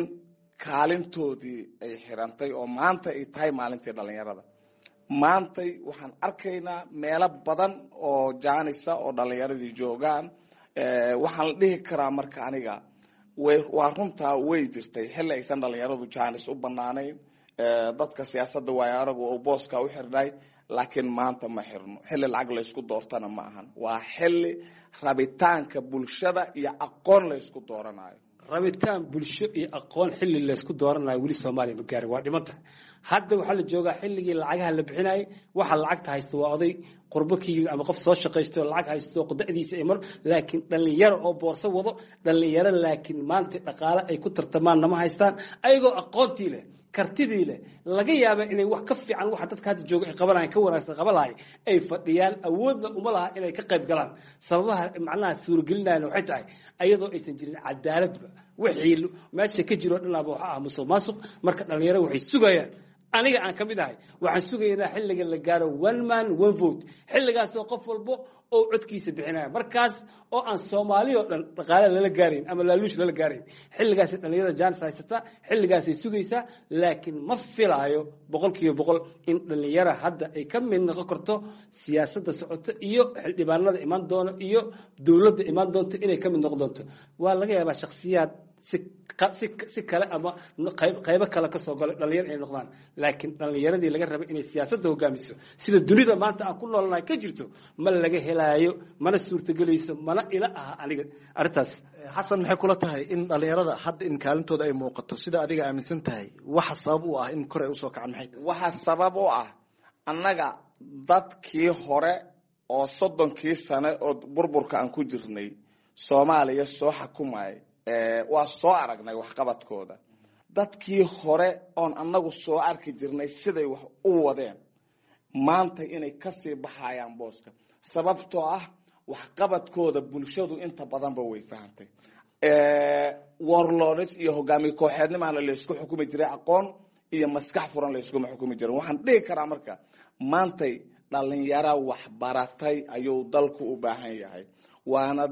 kaalintoodii ay xirantay oo maanta ay tahay maalintii dhalinyarada. Maantay waxaan arkaynaa meelo badan oo jaanisa oo dhalinyaradii joogaan. Waxaan la dhihi karaa marka aniga waa runtaa way jirtay xilli aysan dhalinyaradu jaanis u banaanayn, dadka siyaasadda waayo aragu oo booska u xirnay, laakiin maanta ma xirno. Xilli lacag la isku doortana ma ahan, waa xilli rabitaanka bulshada iyo aqoon la isku dooranayo. Rabitaan bulsho iyo aqoon xilli laysku dooranayo weli Soomaaliya ma gaarin, waa dhimanta. Hadda waxaa la joogaa xilligii lacagaha la bixinayay. Waxa lacagta haysta waa oday qurbo ka yimid ama qof soo shaqaysto lacag haysto da'diisa ay mar, laakiin dhalinyaro oo boorso wado dhalinyaro, laakiin maanta dhaqaale ay ku tartamaan nama haystaan, ayagoo aqoontii leh, kartidii leh, laga yaaba inay wax ka fiican waxa dadka hadda jooga ay qabanayaan ka wanaagsan qaban lahay ay fadhiyaan, awoodna uma laha inay ka qayb galaan. Sababaha macnaha suuragelinayana waxay tahay ayadoo aysan jirin cadaaladba, wixii meesha ka jiro dhanaaba waxa ah musuq maasuq. Marka dhalinyaro waxay sugayaan, aniga aan ka mid ahay, waxaan sugaynaa xilliga la gaaro one man one vote, xilligaasoo qof walbo oo codkiisa bixinaya, markaas oo aan Soomaali oo dhan dhaqaale lala gaarayn ama laaluush lala gaarayn. Xilligaasay dhalinyarada jaanis haysataa, xilligaasay sugaysaa, laakiin ma filaayo boqolkiiba boqol in dhalinyara hadda ay ka mid noqon karto siyaasadda socoto iyo xildhibaanada imaan doono iyo dowladda imaan doonto inay ka mid noqon doonto. Waa laga yaabaa shakhsiyaad si si kale ama qaybo kale kasoo galo dhalinyar inay noqdaan. Laakiin dhalinyaradii laga rabay inay siyaasadda hogaamiso sida dunida maanta aan ku noolnahay ka jirto ma laga helaayo, mana suurtagelayso, mana ila aha aniga arrintaas. Xasan, maxay kula tahay in dhalinyarada hadda in kaalintooda ay muuqato sida adiga aaminsan tahay? Waxa sabab u ah in kor ay usoo kacaan maxay tahay? Waxa sabab u ah annaga dadkii hore oo soddonkii sane oo burburka aan ku jirnay Soomaaliya soo xukumayay, waa soo aragnay waxqabadkooda. Dadkii hore oon annagu soo arki jirnay siday wax u wadeen maanta inay kasii baxayaan booska, sababtoo ah waxqabadkooda bulshadu inta badanba way fahantay. Warlords iyo hogaamiye kooxeednimaana laysku xukumi jiray, aqoon iyo maskax furan layskuma xukumi jirin. Waxaan dhihi karaa marka maantay dhalinyaro waxbaratay ayuu dalku u baahan yahay, waana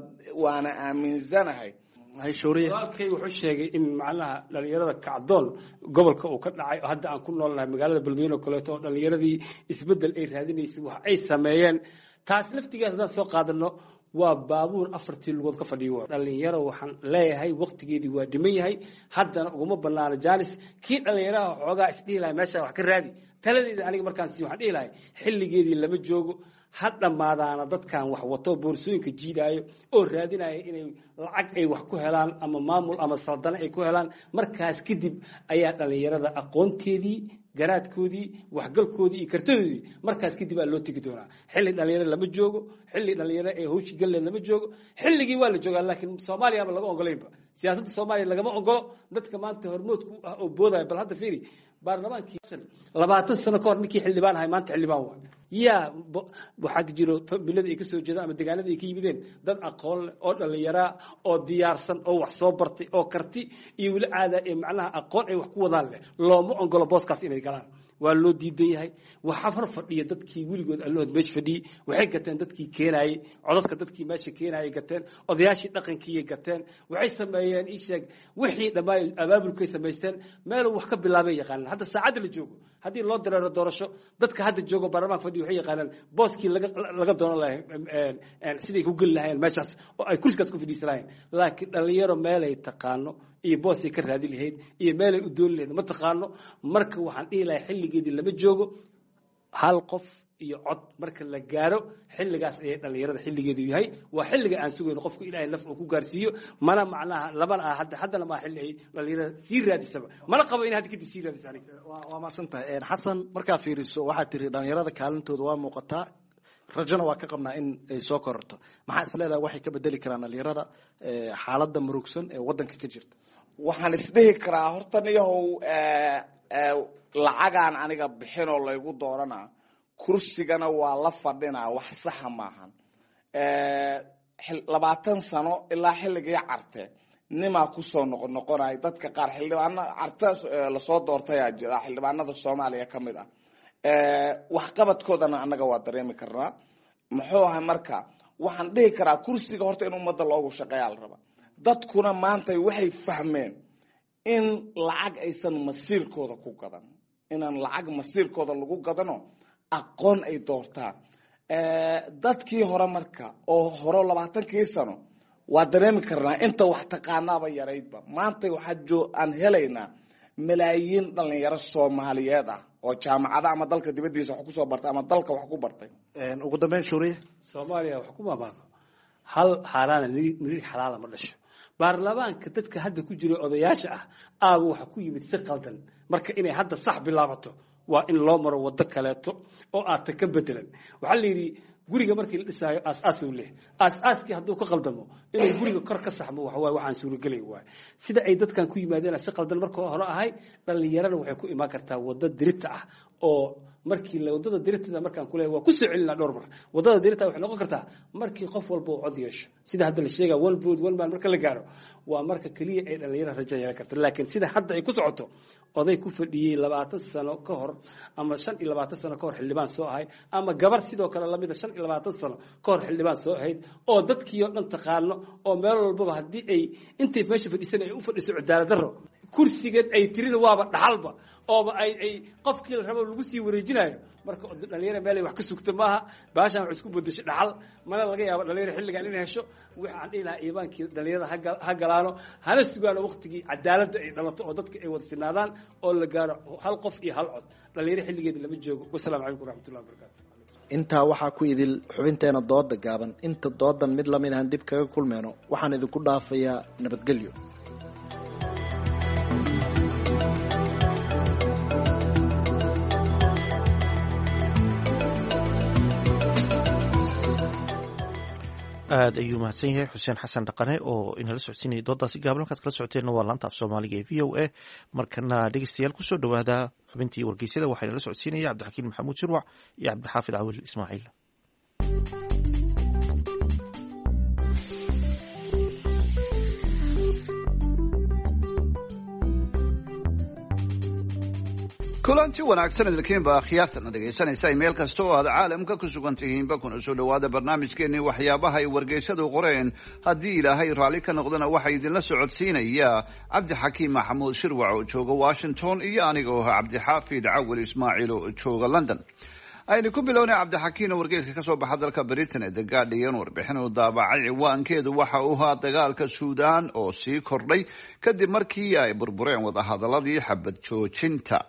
waana aaminsanahay. Walaalkay wuxuu sheegay in macnaha dhalinyarada kacdoon gobolka uu ka dhacay oo hadda aan ku noolnahay magaalada Beledweyne oo kaleeto, oo dhalinyaradii isbeddel ay raadinaysay wax ay sameeyeen. Taas laftigeeda haddaan soo qaadano waa baabuur afartii lugood ka fadhiyo. Dhalinyaro waxaan leeyahay waqtigeedii waa dhiman yahay, haddana uguma banaano jaanis. Kii dhalinyaraha xoogaa isdhihi lahay meesha wax ka raadi, taladeeda aniga markaan sii waxaan dhihi lahay xilligeedii lama joogo, ha dhammaadaana dadkan wax wato boorsooyinka jiidaayo oo raadinaya inay lacag ay wax ku helaan ama maamul ama saldano ay ku helaan. Markaas kadib ayaa dhalinyarada aqoonteedii, garaadkoodii, waxgalkoodii iyo kartadoodii markaas kadib aa loo tegi doonaa. Xilli dhalinyaro lama joogo, xilli dhalinyaro ee hawshii galleed lama joogo. Xilligii waa la joogaa, laakiin Soomaaliya ba laga ogolaynba. Siyaasadda Soomaaliya lagama ogolo dadka maanta hormoodku ah oo boodaya. Bal hadda fiiri baarlamaankii labaatan sano ka hor ninkii xildhibaan ahay maanta xildhibaan waay. Yaa waxaa jiro familada ay kasoo jeedaan ama deegaanada ay ka yimideen dad aqoon leh oo dhalinyaraa oo diyaarsan oo wax soo bartay oo karti iyo weli caada ee macnaha aqoon ay wax ku wadaan leh. Looma ogolo booskaas inay galaan, waa loo diidan yahay. Waxaa hor fadhiya dadkii weligood allahood meesha fadhiyey, waxay gateen dadkii keenaayey codadka, dadkii meesha keenaayay gateen, odayaashii dhaqankiiyay gateen. Waxay sameeyeen ii sheeg wixii dhammaay abaabulkay samaysteen, meeluu wax ka bilaabay yaqaanaan. Hadda saacadda la joogo haddii loo dareero doorasho, dadka hadda joogo baarlamaanka fadhiya waxay yaqaanaan booskii laga laga doonan lahay, siday ku geli lahayeen meeshaas oo ay kursigaas ku fadhiisan lahayeen. Laakiin dhalinyaro meelay taqaano iyo boosay ka raadi lahayd iyo meelay u dooni lahayd ma taqaano. Marka waxaan dhihi lahay xilligeedii lama joogo, hal qof iyo cod marka la gaaro xilligaas ayay dhalinyarada xilligeedu yahay. Waa xilliga aan sugayno qofku ilaahay laf uu ku gaarsiiyo. Mana macnaha labana ah hadda haddana maa xilli ay dhalinyarada sii raadisaba, mana qabo in hadda kadib sii raadisa aniga. Waa mahadsan tahay Xasan. Markaa fiiriso waxaad tiri dhalinyarada kaalintooda waa muuqataa, rajona waa ka qabnaa in ay soo kororto. Maxaa is leedahay waxay ka bedeli karaan dhalinyarada xaaladda murugsan ee waddanka ka jirta? Waxaan isdhihi karaa horta niyahow lacagaan aniga bixinoo laygu dooranaa, kursigana waa la fadhinaa, wax saxa maahan. Labaatan sano ilaa xilligii carte nimaa kusoo noqonoqonay dadka qaar xildhibaana carte lasoo doortayaa jira xildhibaanada Soomaaliya ka mid ah. Waxqabadkoodana annaga waa dareemi karnaa. Muxuu ahay marka waxaan dhihi karaa kursiga horta in ummadda loogu shaqeeyaa la rabaa. Dadkuna maanta waxay fahmeen in lacag aysan masiirkooda ku gadan, inaan lacag masiirkooda lagu gadano, aqoon ay doortaan. Dadkii hore marka oo hore labaatankii sano waa dareemi karnaa inta wax taqaanaaba yaraydba. Maanta waxaa joo aan helaynaa malaayiin dhalinyaro Soomaaliyeed ah oo jaamacada ama dalka dibadiisa wax kusoo bartay ama dalka wax ku bartay. Ugu dambeyn Shuuriye, Soomaaliya wax ku maamaado hal xaaraana niriir xalaala ma dhasho. Baarlamaanka dadka hadda ku jira odayaasha ah aaba waxa ku yimid si qaldan. Marka inay hadda sax bilaabato waa in loo maro waddo kaleeto oo aata ka bedelan. Waxaa la yidhi guriga markii la dhisaayo aas-aas uu leh, aas-aaskii hadduu ka qaldamo inuu guriga kor ka saxmo waxa waaye waxaan suuragelay waay. Sida ay dadkan ku yimaadeen si qaldan marka hore ahay, dhalinyarana waxay ku imaan kartaa waddo dirita ah oo markii la wadada diritada markaan ku leeyahay waa ku soo celinaa dhowr mar. Wadada dirita waxay noqon kartaa markii qof walba uu cod yeesho, sida hadda la sheegaa one vote one man marka la gaaro, waa marka kaliya ay dhalinyarada rajo yeelan karta. Laakiin sida hadda ay ku socoto, oday ku fadhiyey labaatan sano ka hor ama shan iyo labaatan sano ka hor xildhibaan soo ahay, ama gabar sidoo kale lamida shan iyo labaatan sano ka hor xildhibaan soo ahayd oo dadkii oo dhan taqaano oo meel walbaba haddii ay intay meesha fadhiisan ay u fadhiso cadaalad darro Kursigan ay tirina waaba dhaxalba ooba ay ay qofkii la rabo lagu sii wareejinayo. Marka dhalinyaro meelay wax ka sugta maaha, baashaan wax isku bedeshay dhaxal, mana laga yaabo dhalinyaro xilligan inay hesho. Waxaan dhihi lahaa iibaankii dhalinyarada ha galaano, hana sugaano waqtigii cadaaladda ay dhalato oo dadka ay wada sinaadaan oo la gaaro hal qof iyo hal cod. Dhalinyaro xilligeeda lama joogo. Wasalaamu calaykum waraxmatullahi wabarakatu. Intaa waxaa ku idil xubinteena dooda gaaban. Inta doodan mid lamid ahan dib kaga kulmeyno, waxaan idinku dhaafayaa nabadgelyo. Aada ayuu mahadsan yahay Xuseen Xasan Dhaqane oo inala socodsiinaya doodaasi gaaban. Halkaad kala socoteenna waa laanta af soomaaliga ee V O A. Markana dhegeystayaal kusoo dhawaada xubintii wargeysyada, waxaa inala socodsiinaya Cabdixakiin Maxamuud Shirwac iyo Cabdixaafid Cawil Ismaaciil. Kulanti wanaagsan idinkiinba akhyaartana dhegaysanaysa meel kasta oo aad caalamka ku sugan tihiinba, kuna soo dhawaada barnaamijkeenii waxyaabaha ay wargeysadu qoreen. Haddii Ilaahay raalli ka noqdana, waxaa idinla socodsiinaya Cabdixakiim Maxamuud Shirwac oo jooga Washington iyo aniga oo ah Cabdixaafid Cawil Ismaaciil oo jooga London. Aynu ku bilownay, Cabdixakiin, oo wargeyska kasoo baxa dalka Britain ee The Guardian warbixin uu daabacay ciwaankeedu waxa uu ahaa dagaalka Suudaan oo sii kordhay kadib markii ay burbureen wadahadaladii xabad joojinta.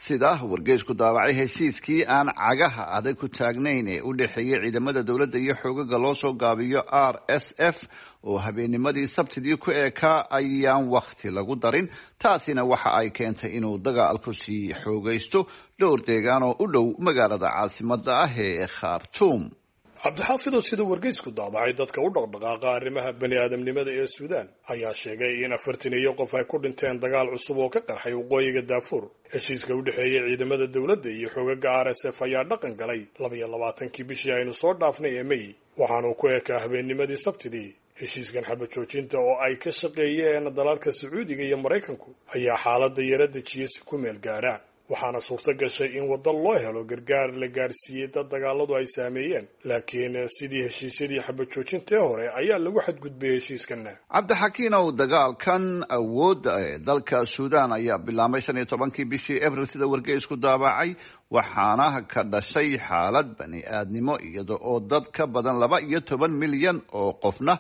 Sida wargeysku daabacay, heshiiskii aan cagaha adag ku taagnayn ee u dhexeeyay ciidamada dowladda iyo xoogaga loo soo gaabiyo R S F oo habeennimadii Sabtidii ku eekaa ayaan wakhti lagu darin. Taasina waxa ay keentay inuu dagaalku sii xoogaysto dhowr deegaan oo u dhow magaalada caasimada ah ee Khartuum. Cabdixaafidow, sida wargeysku daabacay, dadka u dhaqdhaqaaqa arrimaha bani aadamnimada ee Suudaan ayaa sheegay in afartan iyo qof ay ku dhinteen dagaal cusub oo ka qarxay waqooyiga Daafuur. Heshiiska u dhexeeyay ciidamada dowladda iyo xoogaga R S F ayaa dhaqan galay labiyo labaatankii bishii aynu soo dhaafnay ee May, waxaanuu ku ekaa habeennimadii Sabtidii. Heshiiskan xabad joojinta oo ay ka shaqeeyeen dalalka Sacuudiga iyo Maraykanku ayaa xaaladda yara dejiyey si ku meel gaadha, waxaana suurto gashay in waddo loo helo gargaar la gaarsiiyey dad dagaaladu ay saameeyeen. Laakiin sidii heshiisyadii xabad joojintii hore ayaa lagu xadgudbay heshiiskana. Cabdixakiin ow, dagaalkan awoodda ee dalka Suudaan ayaa bilaabmay shan iyo tobankii bishii Abril, sida wargeysku daabacay, waxaana ka dhashay xaalad bani aadnimo, iyada oo dad ka badan laba iyo toban milyan oo qofna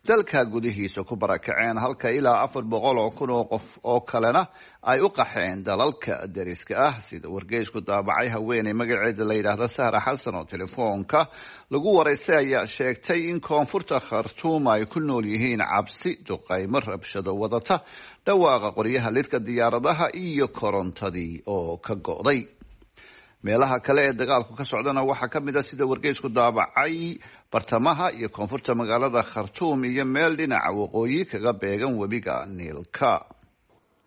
dalka gudihiisa ku barakaceen, halka ilaa afar boqol oo kun oo qof oo kalena ay u qaxeen dalalka deriska ah. Sida wargeysku daabacay, haweeney magaceeda la yidhaahda Sahra Xasan oo telefoonka lagu waraystay ayaa sheegtay in koonfurta Khartuum ay ku nool yihiin cabsi duqaymo rabshado wadata, dhawaaqa qoryaha lidka diyaaradaha iyo korontadii oo ka go'day. Meelaha kale ee dagaalku ka socdana waxaa ka mid a, sida wargeysku daabacay, bartamaha iyo koonfurta magaalada Khartuum iyo meel dhinaca waqooyi kaga beegan webiga Niilka.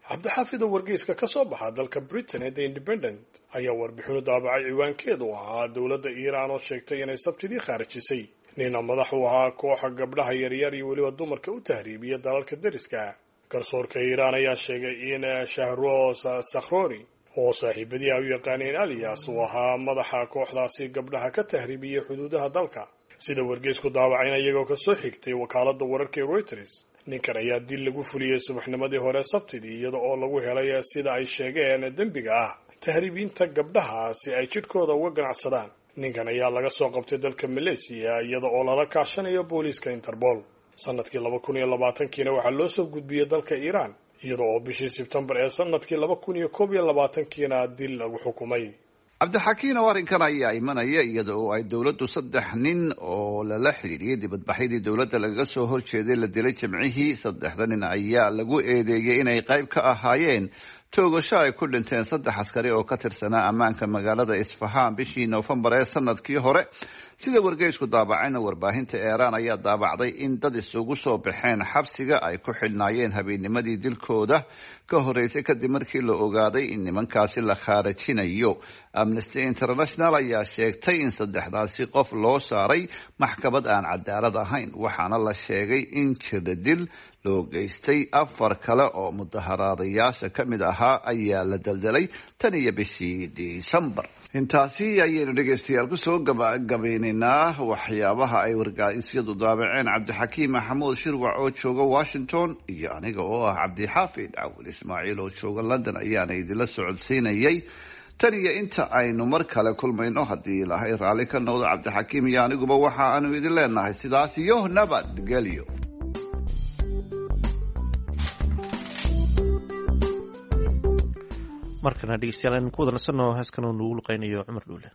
Cabdixaafido, wargeyska ka soo baxa dalka Britain ee The Independent ayaa warbixinu daabacay ciwaankeedu ahaa dowladda Iiraan oo sheegtay inay Sabtidii khaarijisay nina madax u ahaa kooxa gabdhaha yaryar iyo weliba dumarka u tahriibiya dalalka deriska. Garsoorka Iiraan ayaa sheegay in Shahroos Sakhrori, oo saaxiibadii ay u yaqaaneen Alias, uu ahaa madaxa kooxdaasi gabdhaha ka tahriibiyey xuduudaha dalka. Sida wargeysku daabacayna, iyagoo kasoo xigtay wakaaladda wararka ee Reuters, ninkan ayaa dil lagu fuliyey subaxnimadii hore Sabtidii, iyada oo lagu helay, sida ay sheegeen, dembiga ah tahriibinta gabdhaha si ay jidhkooda uga ganacsadaan. Ninkan ayaa laga soo qabtay dalka Malaysiya, iyada oo lala kaashanayo booliiska Interpol. Sanadkii laba kun iyo labaatankiina waxaa loo soo gudbiyey dalka Iiraan, iyada oo bishii Sebtembar ee sanadkii laba kun iyo koob iyo labaatankiina dil lagu xukumay. Cabdixakiin oo, arrinkan ayaa imanaya iyada oo ay dowladdu saddex nin oo lala xidhiidhiyey dibadbaxyadii dowladda lagaga soo horjeeday la dilay Jimcihii. Saddexda nin ayaa lagu eedeeyey inay qayb ka ahaayeen toogasho ay ku dhinteen saddex askari oo ka tirsanaa ammaanka magaalada Isfahaan bishii Noofembar ee sanadkii hore. Sida wargeysku daabacayna, warbaahinta Eeraan ayaa daabacday in dad isugu soo baxeen xabsiga ay ku xidhnaayeen habeennimadii dilkooda ka horreysay, kadib markii la ogaaday in nimankaasi la khaarajinayo. Amnesty International ayaa sheegtay in saddexdaasi qof loo saaray maxkamad aan cadaalad ahayn, waxaana la sheegay in jirdil loo geystay. Afar kale oo mudaharaadayaasha ka mid ahaa ayaa la daldalay tan iyo bishii Disembar. Intaasi ayaynu dhegeystayaal kusoo gabagabeynaynaa waxyaabaha ay wargeysyadu daabaceen. Cabdixakiim Maxamuud Shirwac oo jooga Washington iyo aniga oo ah Cabdixaafid Cawil Ismaaciil oo jooga London ayaana idinla socodsiinayay. Tan iyo inta aynu mar kale kulmayno, haddii Ilaahay raalli ka noqdo, Cabdixakiim iyo aniguba waxa aanu idin leenahay sidaas iyo nabadgelyo. Markana dhegeystayaal aynu ku wada nasanno heeskan oo nugu luqeynayo Cumar Dhuule.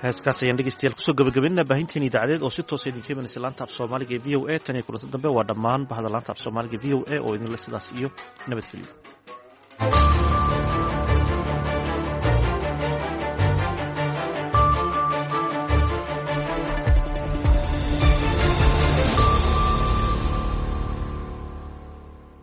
Heeskaas ayaan dhegeystayaal kusoo gabagabaynana baahinteen idaacadeed oo si toosa idinka imanaysa laanta af soomaaliga ee V O A. Tan iyo kulanta dambe, waa dhammaan bahda laanta af soomaaliga V O A oo idinle sidaas iyo nabadgelyo.